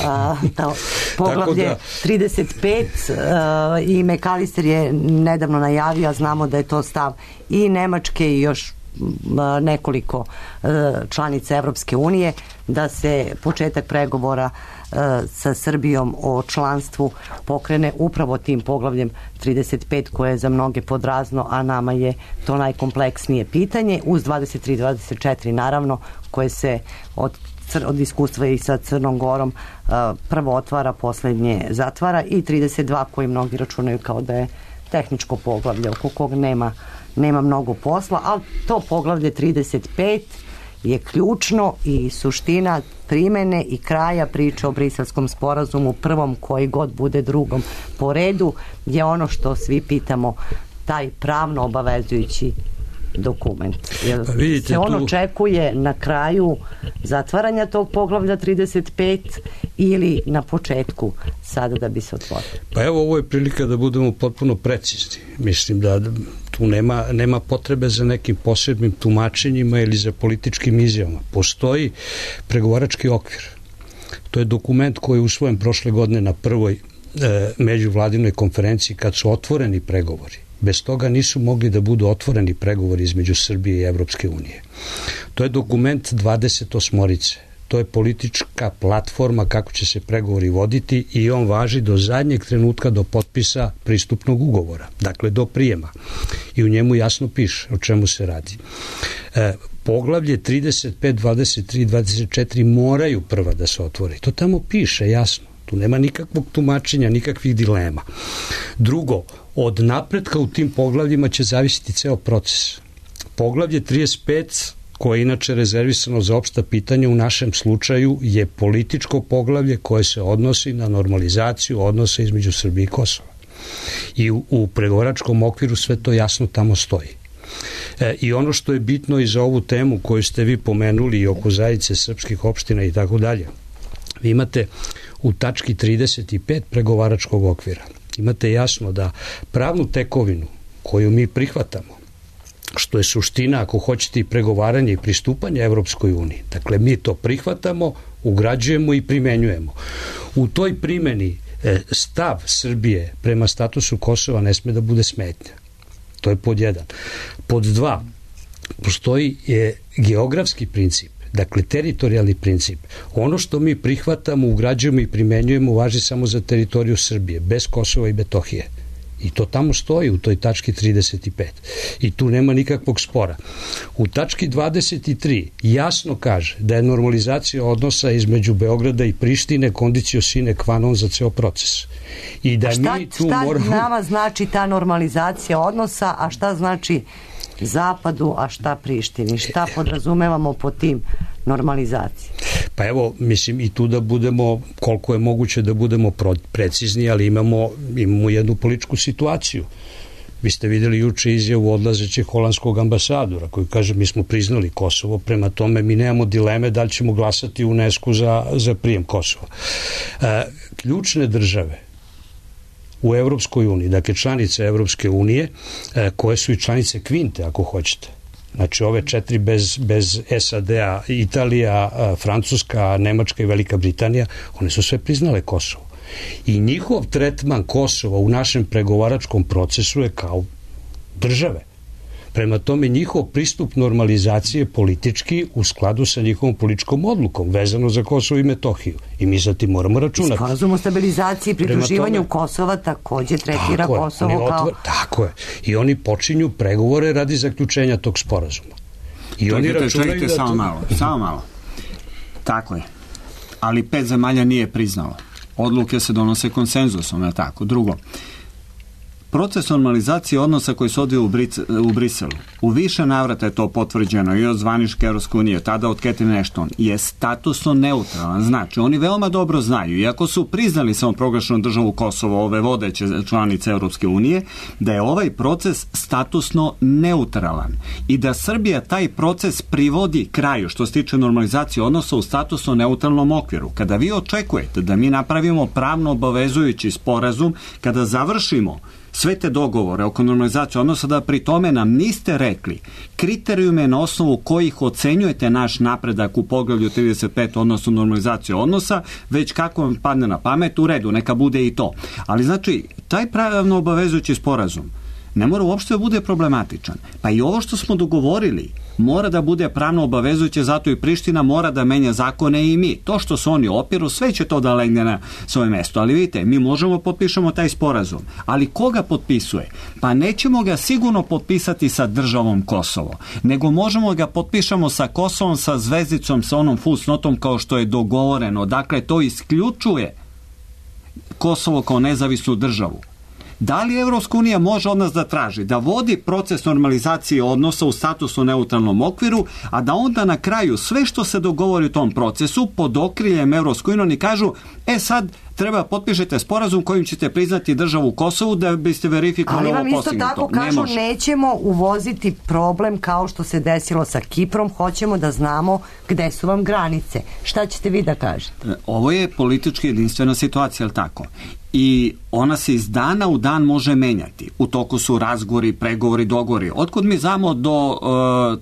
A, ta poglavlje da, trideset pet a, i McAllister je nedavno najavio, a znamo da je to stav i Nemačke i još a, nekoliko a, članica Evropske unije, da se početak pregovora a, sa Srbijom o članstvu pokrene upravo tim poglavljem trideset pet koje je za mnoge podrazno, a nama je to najkompleksnije pitanje, uz dvadeset tri dvadeset četiri naravno, koje se od od iskustva i sa Crnom Gorom prvo otvara, poslednje zatvara, i trideset dva koji mnogi računaju kao da je tehničko poglavlje oko kog nema, nema mnogo posla, ali to poglavlje trideset pet je ključno i suština primene i kraja priče o Briselskom sporazumu, prvom koji god bude drugom po redu, je ono što svi pitamo, taj pravno obavezujući dokument. Jer pa vidite, se on tu očekuje na kraju zatvaranja tog poglavlja trideset pet ili na početku sada da bi se otvorio? Pa evo, ovo je prilika da budemo potpuno precizni. Mislim da tu nema, nema potrebe za nekim posebnim tumačenjima ili za političkim izjavama. Postoji pregovarački okvir. To je dokument koji je usvojen prošle godine na prvoj e, međuvladinoj konferenciji kad su otvoreni pregovori. Bez toga nisu mogli da budu otvoreni pregovori između Srbije i Evropske unije. To je dokument dvadeset osmorice. To je politička platforma kako će se pregovori voditi i on važi do zadnjeg trenutka, do potpisa pristupnog ugovora, dakle do prijema. I u njemu jasno piše o čemu se radi. E, poglavlje trideset pet, dvadeset tri, dvadeset četiri moraju prva da se otvori. To tamo piše jasno. Tu nema nikakvog tumačenja, nikakvih dilema. Drugo, od napretka u tim poglavljima će zavisiti ceo proces. Poglavlje trideset pet, koje je inače rezervisano za opšta pitanja, u našem slučaju je političko poglavlje koje se odnosi na normalizaciju odnosa između Srbije i Kosova. I u, u pregovaračkom okviru sve to jasno tamo stoji. E, I ono što je bitno i za ovu temu koju ste vi pomenuli i oko zajednice srpskih opština i tako dalje, vi imate u tački trideset pet pregovaračkog okvira, imate jasno da pravnu tekovinu koju mi prihvatamo, što je suština, ako hoćete, i pregovaranje i pristupanje Evropskoj uniji, dakle mi to prihvatamo, ugrađujemo i primenjujemo. U toj primeni e, stav Srbije prema statusu Kosova ne sme da bude smetnja. To je pod jedan. Pod dva, postoji je geografski princip, dakle teritorijalni princip. Ono što mi prihvatamo, ugrađujemo i primenjujemo važi samo za teritoriju Srbije, bez Kosova i Metohije. I to tamo stoji u toj tački trideset pet. I tu nema nikakvog spora. U tački dvadeset tri jasno kaže da je normalizacija odnosa između Beograda i Prištine condicio sine qua non za ceo proces. I da šta, mi tu šta moramo... nama znači ta normalizacija odnosa, a šta znači Zapadu, a šta Prištini? Šta podrazumevamo po tim normalizaciji? Pa evo, mislim, i tu da budemo, koliko je moguće da budemo precizni, ali imamo, imamo jednu političku situaciju. Vi ste videli juče izjavu odlazećeg holandskog ambasadora koji kaže mi smo priznali Kosovo, prema tome mi nemamo dileme da li ćemo glasati u UNESCO za, za prijem Kosova. E, ključne države u Evropskoj uniji, dakle članice Evropske unije, e, koje su i članice Kvinte, ako hoćete. Znači ove četiri bez, bez S A D-a, Italija, Francuska, Nemačka i Velika Britanija, one su sve priznale Kosovo. I njihov tretman Kosova u našem pregovaračkom procesu je kao države. Prema tome njihov pristup normalizacije politički u skladu sa njihovom političkom odlukom vezano za Kosovo i Metohiju. I mi za tim moramo računati. Sporazum o stabilizaciji i pridruživanju tome, Kosova takođe tretira Kosovo kao... Tako je. I oni počinju pregovore radi zaključenja tog sporazuma. I čekajte, oni računaju čekajte, da... samo to... malo, samo malo. Tako je. Ali pet zemalja nije priznalo. Odluke se donose konsenzusom, je tako? Drugo, proces normalizacije odnosa koji se odvija u, u Briselu, u više navrata je to potvrđeno i od zvaničke Evropske unije, tada od Catherine Ashton, je statusno neutralan. Znači, oni veoma dobro znaju, iako su priznali samoproglašenu državu Kosovo, ove vodeće članice Evropske unije, da je ovaj proces statusno neutralan i da Srbija taj proces privodi kraju što se tiče normalizacije odnosa u statusno neutralnom okviru. Kada vi očekujete da mi napravimo pravno obavezujući sporazum, kada završimo sve te dogovore oko normalizacije odnosa, da pri tome nam niste rekli kriterijume na osnovu kojih ocenjujete naš napredak u poglavlju trideset pet odnosno normalizacije odnosa, već kako vam padne na pamet, u redu, neka bude i to. Ali znači, taj pravno obavezujući sporazum ne mora uopšte da bude problematičan. Pa i ovo što smo dogovorili mora da bude pravno obavezujuće, zato i Priština mora da menja zakone i mi. To što se oni opiru, sve će to da legne na svoje mesto. Ali vidite, mi možemo potpišemo taj sporazum. Ali ko ga potpisuje? Pa nećemo ga sigurno potpisati sa državom Kosovo, nego možemo ga potpišemo sa Kosovom, sa zvezdicom, sa onom fusnotom kao što je dogovoreno. Dakle, to isključuje Kosovo kao nezavisnu državu. Da li Evropska unija može od nas da traži da vodi proces normalizacije odnosa u statusno neutralnom okviru, a da onda na kraju sve što se dogovori u tom procesu pod okriljem Evropske unije oni kažu, e sad treba potpišete sporazum kojim ćete priznati državu Kosovu da biste verifikovali ovo postignuto. Ali vam isto tako kažu, ne nećemo uvoziti problem kao što se desilo sa Kiprom, hoćemo da znamo gde su vam granice. Šta ćete vi da kažete? Ovo je politički jedinstvena situacija, ali tako? I ona se iz dana u dan može menjati. U toku su razgovori, pregovori, dogovori. Otkud mi znamo do uh,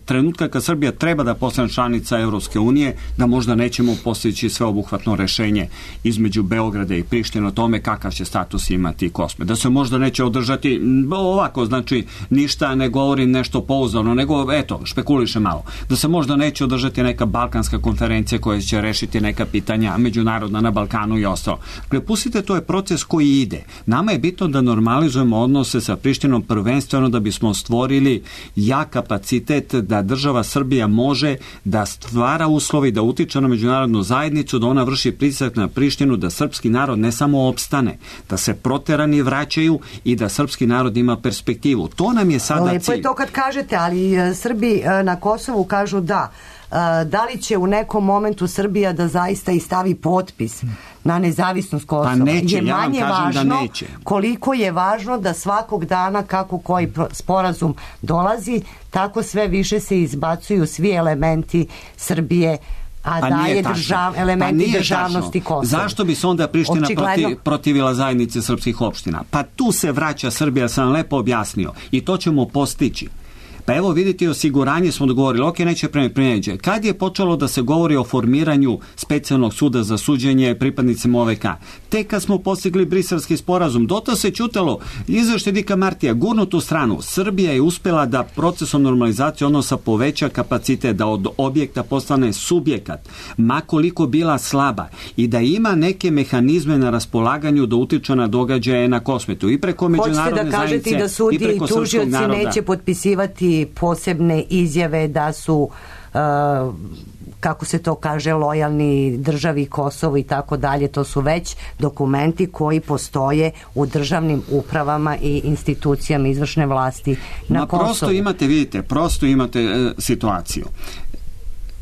trenutka kad Srbija treba da postane članica Evropske unije, da možda nećemo postići sveobuhvatno rešenje između Beograda i Prištine o tome kakav će status imati Kosme. Da se možda neće održati ovako, znači ništa ne govorim nešto pouzdano, nego eto, špekuliše malo. Da se možda neće održati neka balkanska konferencija koja će rešiti neka pitanja međunarodna na Balkanu i ostalo. Dakle, pustite, to je proces koji ide. Nama je bitno da normalizujemo odnose sa Prištinom prvenstveno da bismo stvorili jak kapacitet da država Srbija može da stvara uslovi, da utiče na međunarodnu zajednicu, da ona vrši pritisak na Prištinu, da srpski narod ne samo opstane, da se proterani vraćaju i da srpski narod ima perspektivu. To nam je sada cilj. Lepo je to kad kažete, ali Srbi na Kosovu kažu da. Da li će u nekom momentu Srbija da zaista i stavi potpis na nezavisnost Kosova? Pa neće, je manje ja vam kažem važno da neće. Koliko je važno da svakog dana kako koji sporazum dolazi, tako sve više se izbacuju svi elementi Srbije, a pa daje držav, elementi pa državnosti tačno. Kosova. Zašto bi se onda Priština Očigledno... protiv, protivila zajednice srpskih opština? Pa tu se vraća Srbija, sam lepo objasnio, i to ćemo postići. Pa evo vidite, osiguranje smo dogovorili, ok, neće primjenjati. Kad je počelo da se govori o formiranju specijalnog suda za suđenje pripadnicima O V K? Tek kad smo postigli briselski sporazum, doto se ćutalo, izveštaj Dika Martija, gurnut u stranu. Srbija je uspela da procesom normalizacije odnosa poveća kapacitet, da od objekta postane subjekat, makoliko bila slaba, i da ima neke mehanizme na raspolaganju da utiče na događaje na Kosmetu i preko međunarodne zajednice i preko srpskog naroda. Hoćete da kažete da sudije i tužioci neće potpisivati posebne izjave da su uh, kako se to kaže, lojalni državi Kosovo i tako dalje. To su već dokumenti koji postoje u državnim upravama i institucijama izvršne vlasti na Ma Kosovu. Prosto imate, vidite, prosto imate e, situaciju.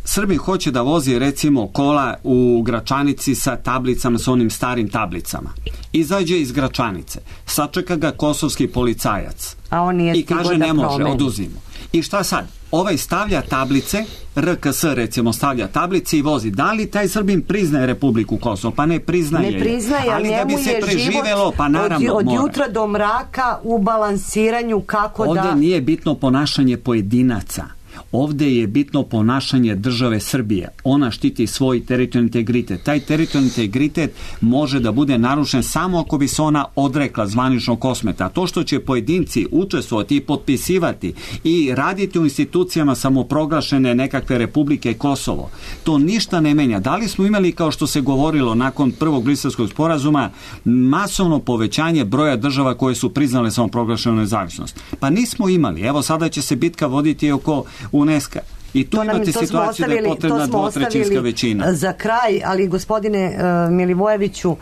Srbin hoće da vozi recimo kola u Gračanici sa tablicama, sa onim starim tablicama. Izađe iz Gračanice, sačeka ga kosovski policajac a on nije i kaže da ne može, promeni. oduzimo. I šta sad? Ovaj stavlja tablice, R K S recimo stavlja tablice i vozi. Da li taj Srbin priznaje Republiku Kosovo? Pa ne priznaje. Ne priznaje, ali da bi se preživelo, pa naravno od, od mora. jutra do mraka u balansiranju kako Ovde da... Ovde nije bitno ponašanje pojedinaca. Ovde je bitno ponašanje države Srbije. Ona štiti svoj teritorijalni integritet. Taj teritorijalni integritet može da bude narušen samo ako bi se ona odrekla zvaničnog Kosmeta. To što će pojedinci učestvovati i potpisivati i raditi u institucijama samoproglašene nekakve Republike Kosovo, to ništa ne menja. Da li smo imali, kao što se govorilo nakon prvog briselskog sporazuma, masovno povećanje broja država koje su priznale samoproglašenu nezavisnost? Pa nismo imali. Evo sada će se bitka voditi oko UNESCO. I tu to imate nam, to situaciju da je potrebna dvotrećinska većina. Za kraj, ali gospodine uh, Milivojeviću,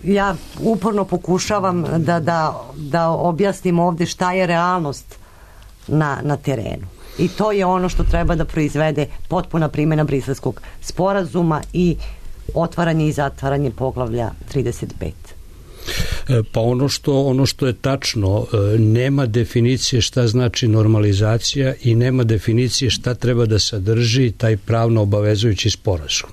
ja uporno pokušavam da, da, da objasnim ovde šta je realnost na, na terenu. I to je ono što treba da proizvede potpuna primjena Briselskog sporazuma i otvaranje i zatvaranje poglavlja trideset pet. Pa ono što, ono što je tačno, nema definicije šta znači normalizacija i nema definicije šta treba da sadrži taj pravno obavezujući sporazum.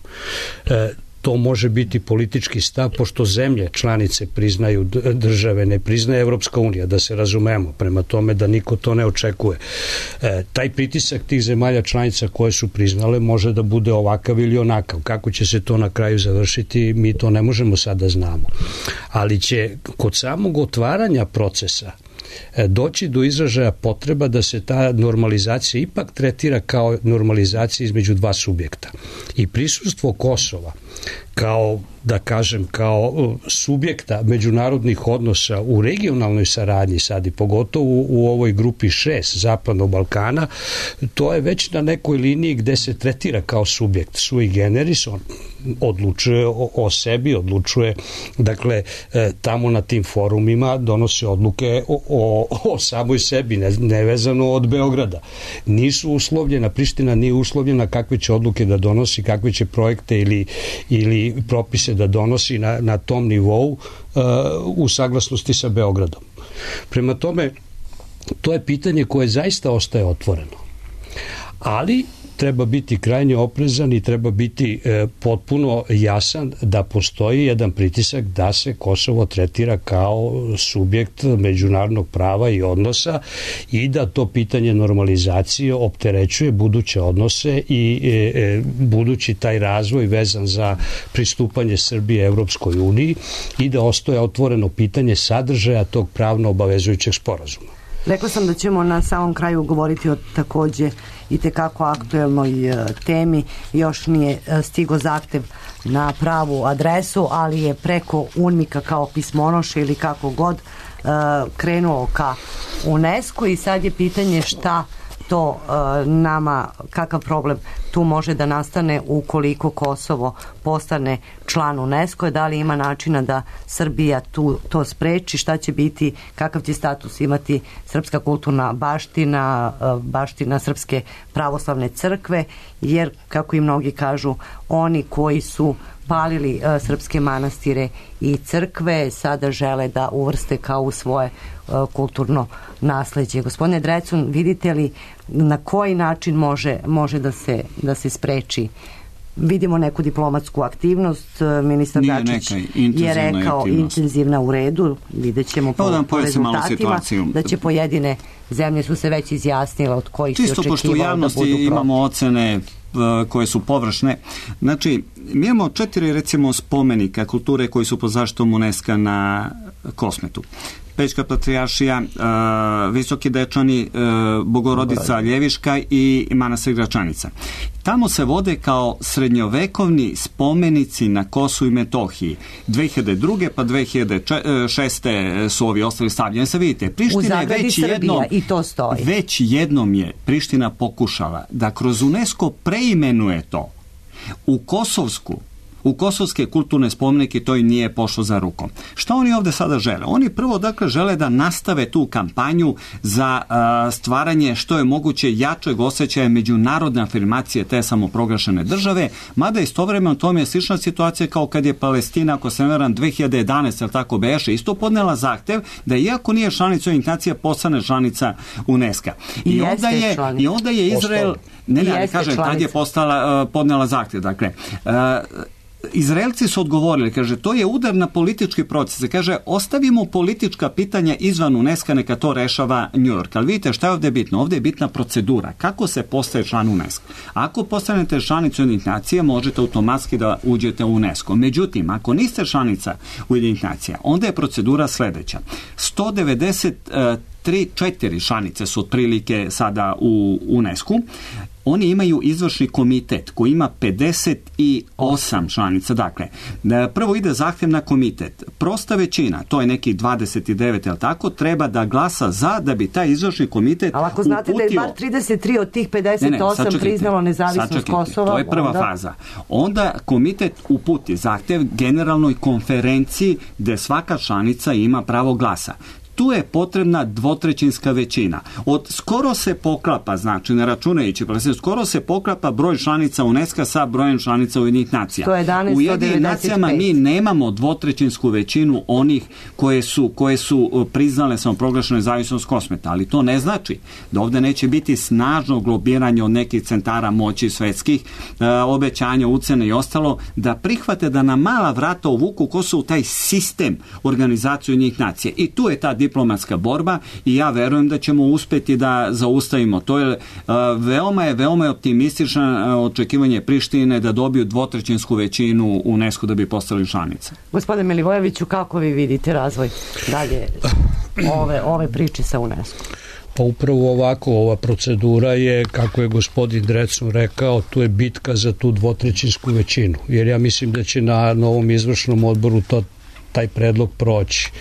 To može biti politički stav, pošto zemlje članice priznaju države, ne priznaje Evropska unija, da se razumemo, prema tome da niko to ne očekuje. E, taj pritisak tih zemalja članica koje su priznale može da bude ovakav ili onakav. Kako će se to na kraju završiti, mi to ne možemo sada znamo. Ali će kod samog otvaranja procesa doći do izražaja potreba da se ta normalizacija ipak tretira kao normalizacija između dva subjekta. I prisustvo Kosova kao, da kažem, kao subjekta međunarodnih odnosa u regionalnoj saradnji sad i pogotovo u, u ovoj grupi šest Zapadnog Balkana, to je već na nekoj liniji gde se tretira kao subjekt sui generis, on odlučuje o, o sebi, odlučuje, dakle, e, tamo na tim forumima donose odluke o, o, o samoj sebi, ne, nevezano od Beograda. Nisu uslovljena, Priština nije uslovljena kakve će odluke da donosi, kakve će projekte ili, ili propise da donosi na, na tom nivou uh, u saglasnosti sa Beogradom. Prema tome, to je pitanje koje zaista ostaje otvoreno. Ali treba biti krajnje oprezan i treba biti e, potpuno jasan da postoji jedan pritisak da se Kosovo tretira kao subjekt međunarodnog prava i odnosa i da to pitanje normalizacije opterećuje buduće odnose i e, e, budući taj razvoj vezan za pristupanje Srbije Evropskoj uniji i da ostaje otvoreno pitanje sadržaja tog pravno obavezujućeg sporazuma. Rekla sam da ćemo na samom kraju govoriti o takođe i tekako aktuelnoj temi. Još nije stigo zahtev na pravu adresu, ali je preko UNMIK-a kao pismonoše ili kako god krenuo ka UNESCO i sad je pitanje šta to uh, nama, kakav problem tu može da nastane ukoliko Kosovo postane član UNESCO, da li ima načina da Srbija tu to spreči, šta će biti, kakav će status imati srpska kulturna baština, uh, baština Srpske pravoslavne crkve, jer kako i mnogi kažu, oni koji su palili uh, srpske manastire i crkve sada žele da uvrste kao u svoje uh, kulturno nasleđe. Gospodine Drecun, vidite li na koji način može, može da se, da se spreči? Vidimo neku diplomatsku aktivnost, ministar Dačić je rekao aktivnost. Intenzivna u redu, vidjet ćemo po, da po rezultatima da će pojedine zemlje su se već izjasnile od kojih Čisto se očekivalo da budu pošto u javnosti imamo ocene koje su površne. Znači, mi imamo četiri, recimo, spomenika kulture koji su pod zaštitom UNESCO na Kosmetu. Pećka patrijaršija, uh, Visoki Dečani, uh, Bogorodica Ljeviška i manastir Gračanica. Tamo se vode kao srednjovekovni spomenici na Kosovu i Metohiji. dve hiljade druge pa dve hiljade šeste su ovi ostali stavljeni. Sad vidite, Priština je već jednom, i to stoji. već jednom je Priština pokušala da kroz UNESCO preimenuje to u kosovsku u kosovske kulturne spomenike, to i nije pošlo za rukom. Šta oni ovde sada žele? Oni prvo, dakle, žele da nastave tu kampanju za uh, stvaranje što je moguće jačeg osjećaja međunarodne afirmacije te samoproglašene države, mada istovremeno tome je slična situacija kao kad je Palestina, ako se ne varam, dve hiljade jedanaeste, ali tako beše, isto podnela zahtev da iako nije članica Ujedinjenih nacija, postane članica UNESCO. I, I onda je članica. I onda je Izrael, ne, ne, ne kažem, tad je postala, uh, podnela zahtev, dakle, uh, Izraelci su odgovorili, kaže, to je udar na politički proces. Kaže, ostavimo politička pitanja izvan UNESCO, neka to rešava New York. Ali vidite šta je ovde bitno? Ovde je bitna procedura. Kako se postaje član UNESCO? Ako postanete članicu Ujedinjenih nacija, možete automatski da uđete u UNESCO. Međutim, ako niste članica Ujedinjenih nacija, onda je procedura sledeća. sto devedeset tri četiri članice su otprilike sada u UNESCO. oni imaju izvršni komitet koji ima pedeset osam članica. Dakle, prvo ide zahtjev na komitet. Prosta većina, to je neki dvadeset devet, jel tako, treba da glasa za da bi taj izvršni komitet uputio... Ali ako znate da je bar trideset tri od tih pedeset osam ne, ne, priznalo nezavisnost sačekajte, Kosova... To je prva onda... faza. Onda komitet uputi zahtjev generalnoj konferenciji gde svaka članica ima pravo glasa. Tu je potrebna dvotrećinska većina. Od skoro se poklapa, znači ne računajući, skoro se poklapa broj članica UNESCO sa brojem članica Ujedinjenih nacija. sto jedanaest, u Ujedinjenim nacijama mi nemamo dvotrećinsku većinu onih koje su, koje su priznale samoproglašenu nezavisnost Kosmeta, ali to ne znači da ovde neće biti snažno lobiranje od nekih centara moći svetskih, e, obećanja, ucene i ostalo, da prihvate da na mala vrata uvuku Kosovo taj sistem organizacije Ujedinjenih nacija. I tu je ta diplomatska borba i ja verujem da ćemo uspeti da zaustavimo. To je uh, veoma je veoma je optimistično uh, očekivanje Prištine da dobiju dvotrećinsku većinu u UNESCO da bi postali članice. Gospodine Milivojeviću, kako vi vidite razvoj dalje ove, ove priče sa UNESCO? Pa upravo ovako, ova procedura je, kako je gospodin Drecun rekao, tu je bitka za tu dvotrećinsku većinu, jer ja mislim da će na novom izvršnom odboru to taj predlog proći,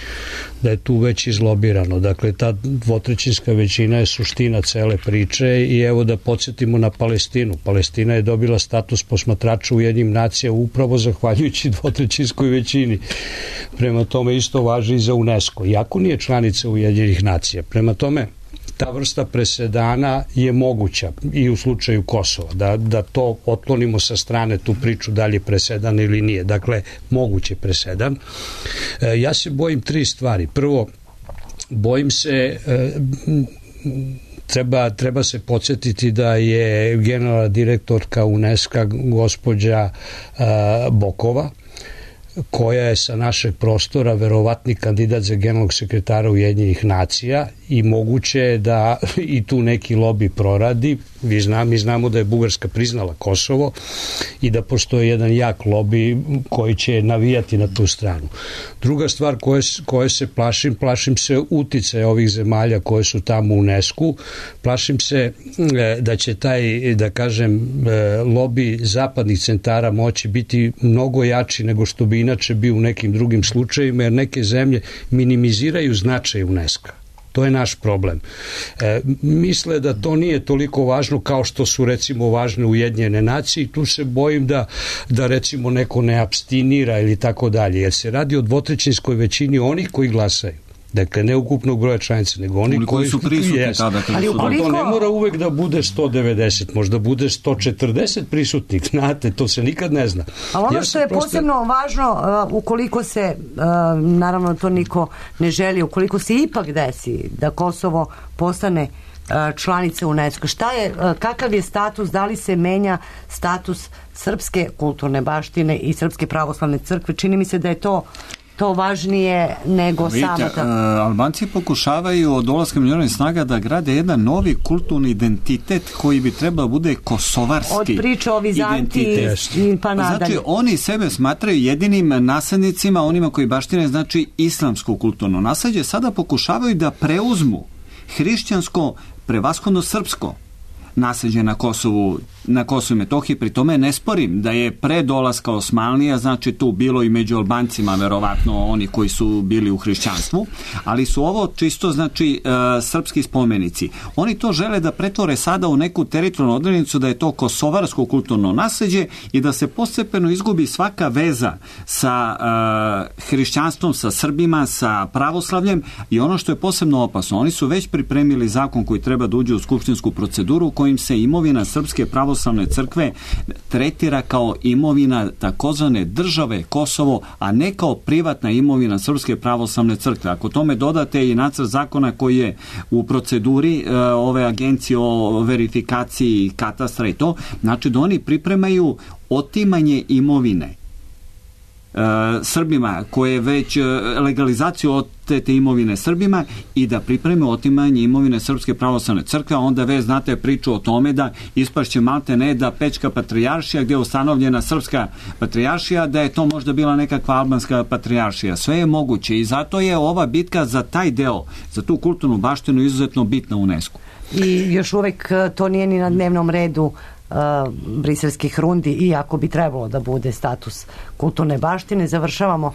da je tu već izlobirano. Dakle, ta dvotrećinska većina je suština cele priče i evo da podsjetimo na Palestinu. Palestina je dobila status posmatrača u Ujedinjenim nacijama upravo zahvaljujući dvotrećinskoj većini. Prema tome isto važi i za UNESCO. Iako nije članica Ujedinjenih nacija. Prema tome, ta vrsta presedana je moguća i u slučaju Kosova, da, da to otklonimo sa strane tu priču da li je presedan ili nije. Dakle, moguće presedan. E, ja se bojim tri stvari. Prvo, bojim se... E, Treba, treba se podsjetiti da je generalna direktorka UNESCO gospođa uh, Bokova, koja je sa našeg prostora verovatni kandidat za generalnog sekretara Ujedinjenih nacija i moguće je da i tu neki lobi proradi. Vi znam, mi znamo da je Bugarska priznala Kosovo i da postoji jedan jak lobi koji će navijati na tu stranu. Druga stvar koje, koje se plašim, plašim se uticaja ovih zemalja koje su tamo u UNESCO-u. Plašim se da će taj, da kažem, lobi zapadnih centara moći biti mnogo jači nego što bi inače bio u nekim drugim slučajevima, jer neke zemlje minimiziraju značaj UNESCO. To je naš problem. E, misle da to nije toliko važno kao što su recimo važne Ujedinjene nacije i tu se bojim da, da recimo neko ne apstinira ili tako dalje, jer se radi o dvotrećinskoj većini onih koji glasaju. Dakle, ne ukupnog broja članica, nego oni koji, koji su prisutni jest. tada. Ali ukoliko... To ne mora uvek da bude sto devedeset, možda bude sto četrdeset prisutnih, znate, to se nikad ne zna. Ali ono ja što je prosto... posebno važno, uh, ukoliko se, uh, naravno to niko ne želi, ukoliko se ipak desi da Kosovo postane uh, članica UNESCO, šta je, uh, kakav je status, da li se menja status srpske kulturne baštine i Srpske pravoslavne crkve? Čini mi se da je to to važnije nego Vidite, samo ta... Uh, Albanci pokušavaju od dolaska međunarodnih snaga da grade jedan novi kulturni identitet koji bi trebao bude kosovarski. Od priče o Vizantiji pa nadalje. Znači, oni sebe smatraju jedinim naslednicima, onima koji baštine, znači, islamsko kulturno nasleđe. Sada pokušavaju da preuzmu hrišćansko, prevashodno srpsko nasleđe na Kosovu, na Kosovu i Metohiji. Pri tome ne sporim da je pre dolaska Osmanlija, znači tu bilo i među Albancima verovatno oni koji su bili u hrišćanstvu, ali su ovo čisto znači e, srpski spomenici. Oni to žele da pretvore sada u neku teritorijalnu odrednicu da je to kosovarsko kulturno nasleđe i da se postepeno izgubi svaka veza sa e, hrišćanstvom, sa Srbima, sa pravoslavljem i ono što je posebno opasno, oni su već pripremili zakon koji treba da uđe u skupštinsku proceduru kojim se imovina Srpske pravoslavne crkve tretira kao imovina takozvane države Kosovo, a ne kao privatna imovina Srpske pravoslavne crkve. Ako tome dodate i nacrt zakona koji je u proceduri e, ove agencije o verifikaciji katastra i to, znači da oni pripremaju otimanje imovine Srbima koje već legalizaciju otete imovine Srbima i da pripreme otimanje imovine Srpske pravoslavne crkve, onda već znate priču o tome da ispašće malte ne da Pećka patrijaršija gdje je ustanovljena Srpska patrijaršija, da je to možda bila nekakva albanska patrijaršija. Sve je moguće i zato je ova bitka za taj deo, za tu kulturnu baštinu izuzetno bitna u UNESCO. I još uvek to nije ni na dnevnom redu Uh, briselskih rundi, iako bi trebalo da bude status kulturne baštine. Završavamo uh,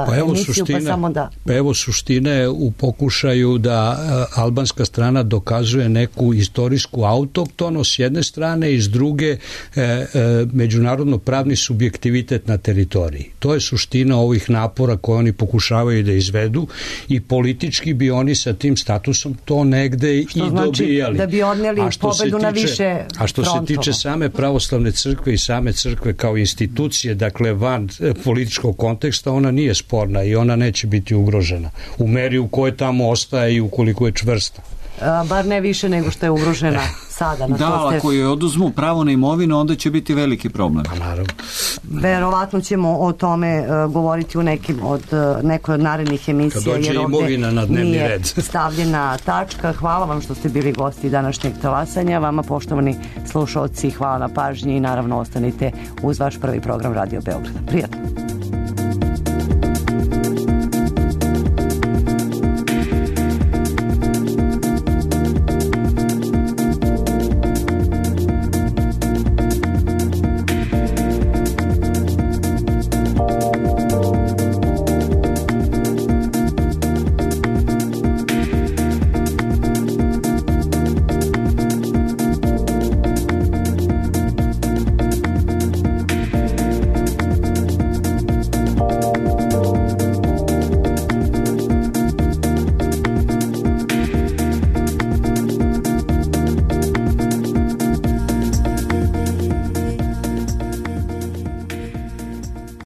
pa evo emisiju, suštine, pa samo da... Pa evo suštine u pokušaju da uh, albanska strana dokazuje neku istorijsku autoktonost s jedne strane i s druge uh, uh, međunarodno pravni subjektivitet na teritoriji. To je suština ovih napora koje oni pokušavaju da izvedu i politički bi oni sa tim statusom to negde što i znači dobijali. Da bi odneli pobedu na više a što frontova. Se tiče same pravoslavne crkve i same crkve kao institucije, dakle van političkog konteksta, ona nije sporna i ona neće biti ugrožena u meri u kojoj tamo ostaje i ukoliko je čvrsta. A, bar ne više nego što je ugrožena sada. Na da, ste... ako je oduzmu pravo na imovinu, onda će biti veliki problem. Pa naravno. Verovatno ćemo o tome uh, govoriti u nekim od, uh, nekoj od narednih emisija. Kad dođe jer imovina na dnevni nije red. stavljena tačka. Hvala vam što ste bili gosti današnjeg talasanja. Vama, poštovani slušalci, hvala na pažnji i naravno ostanite uz vaš prvi program Radio Beograda. Prijatno.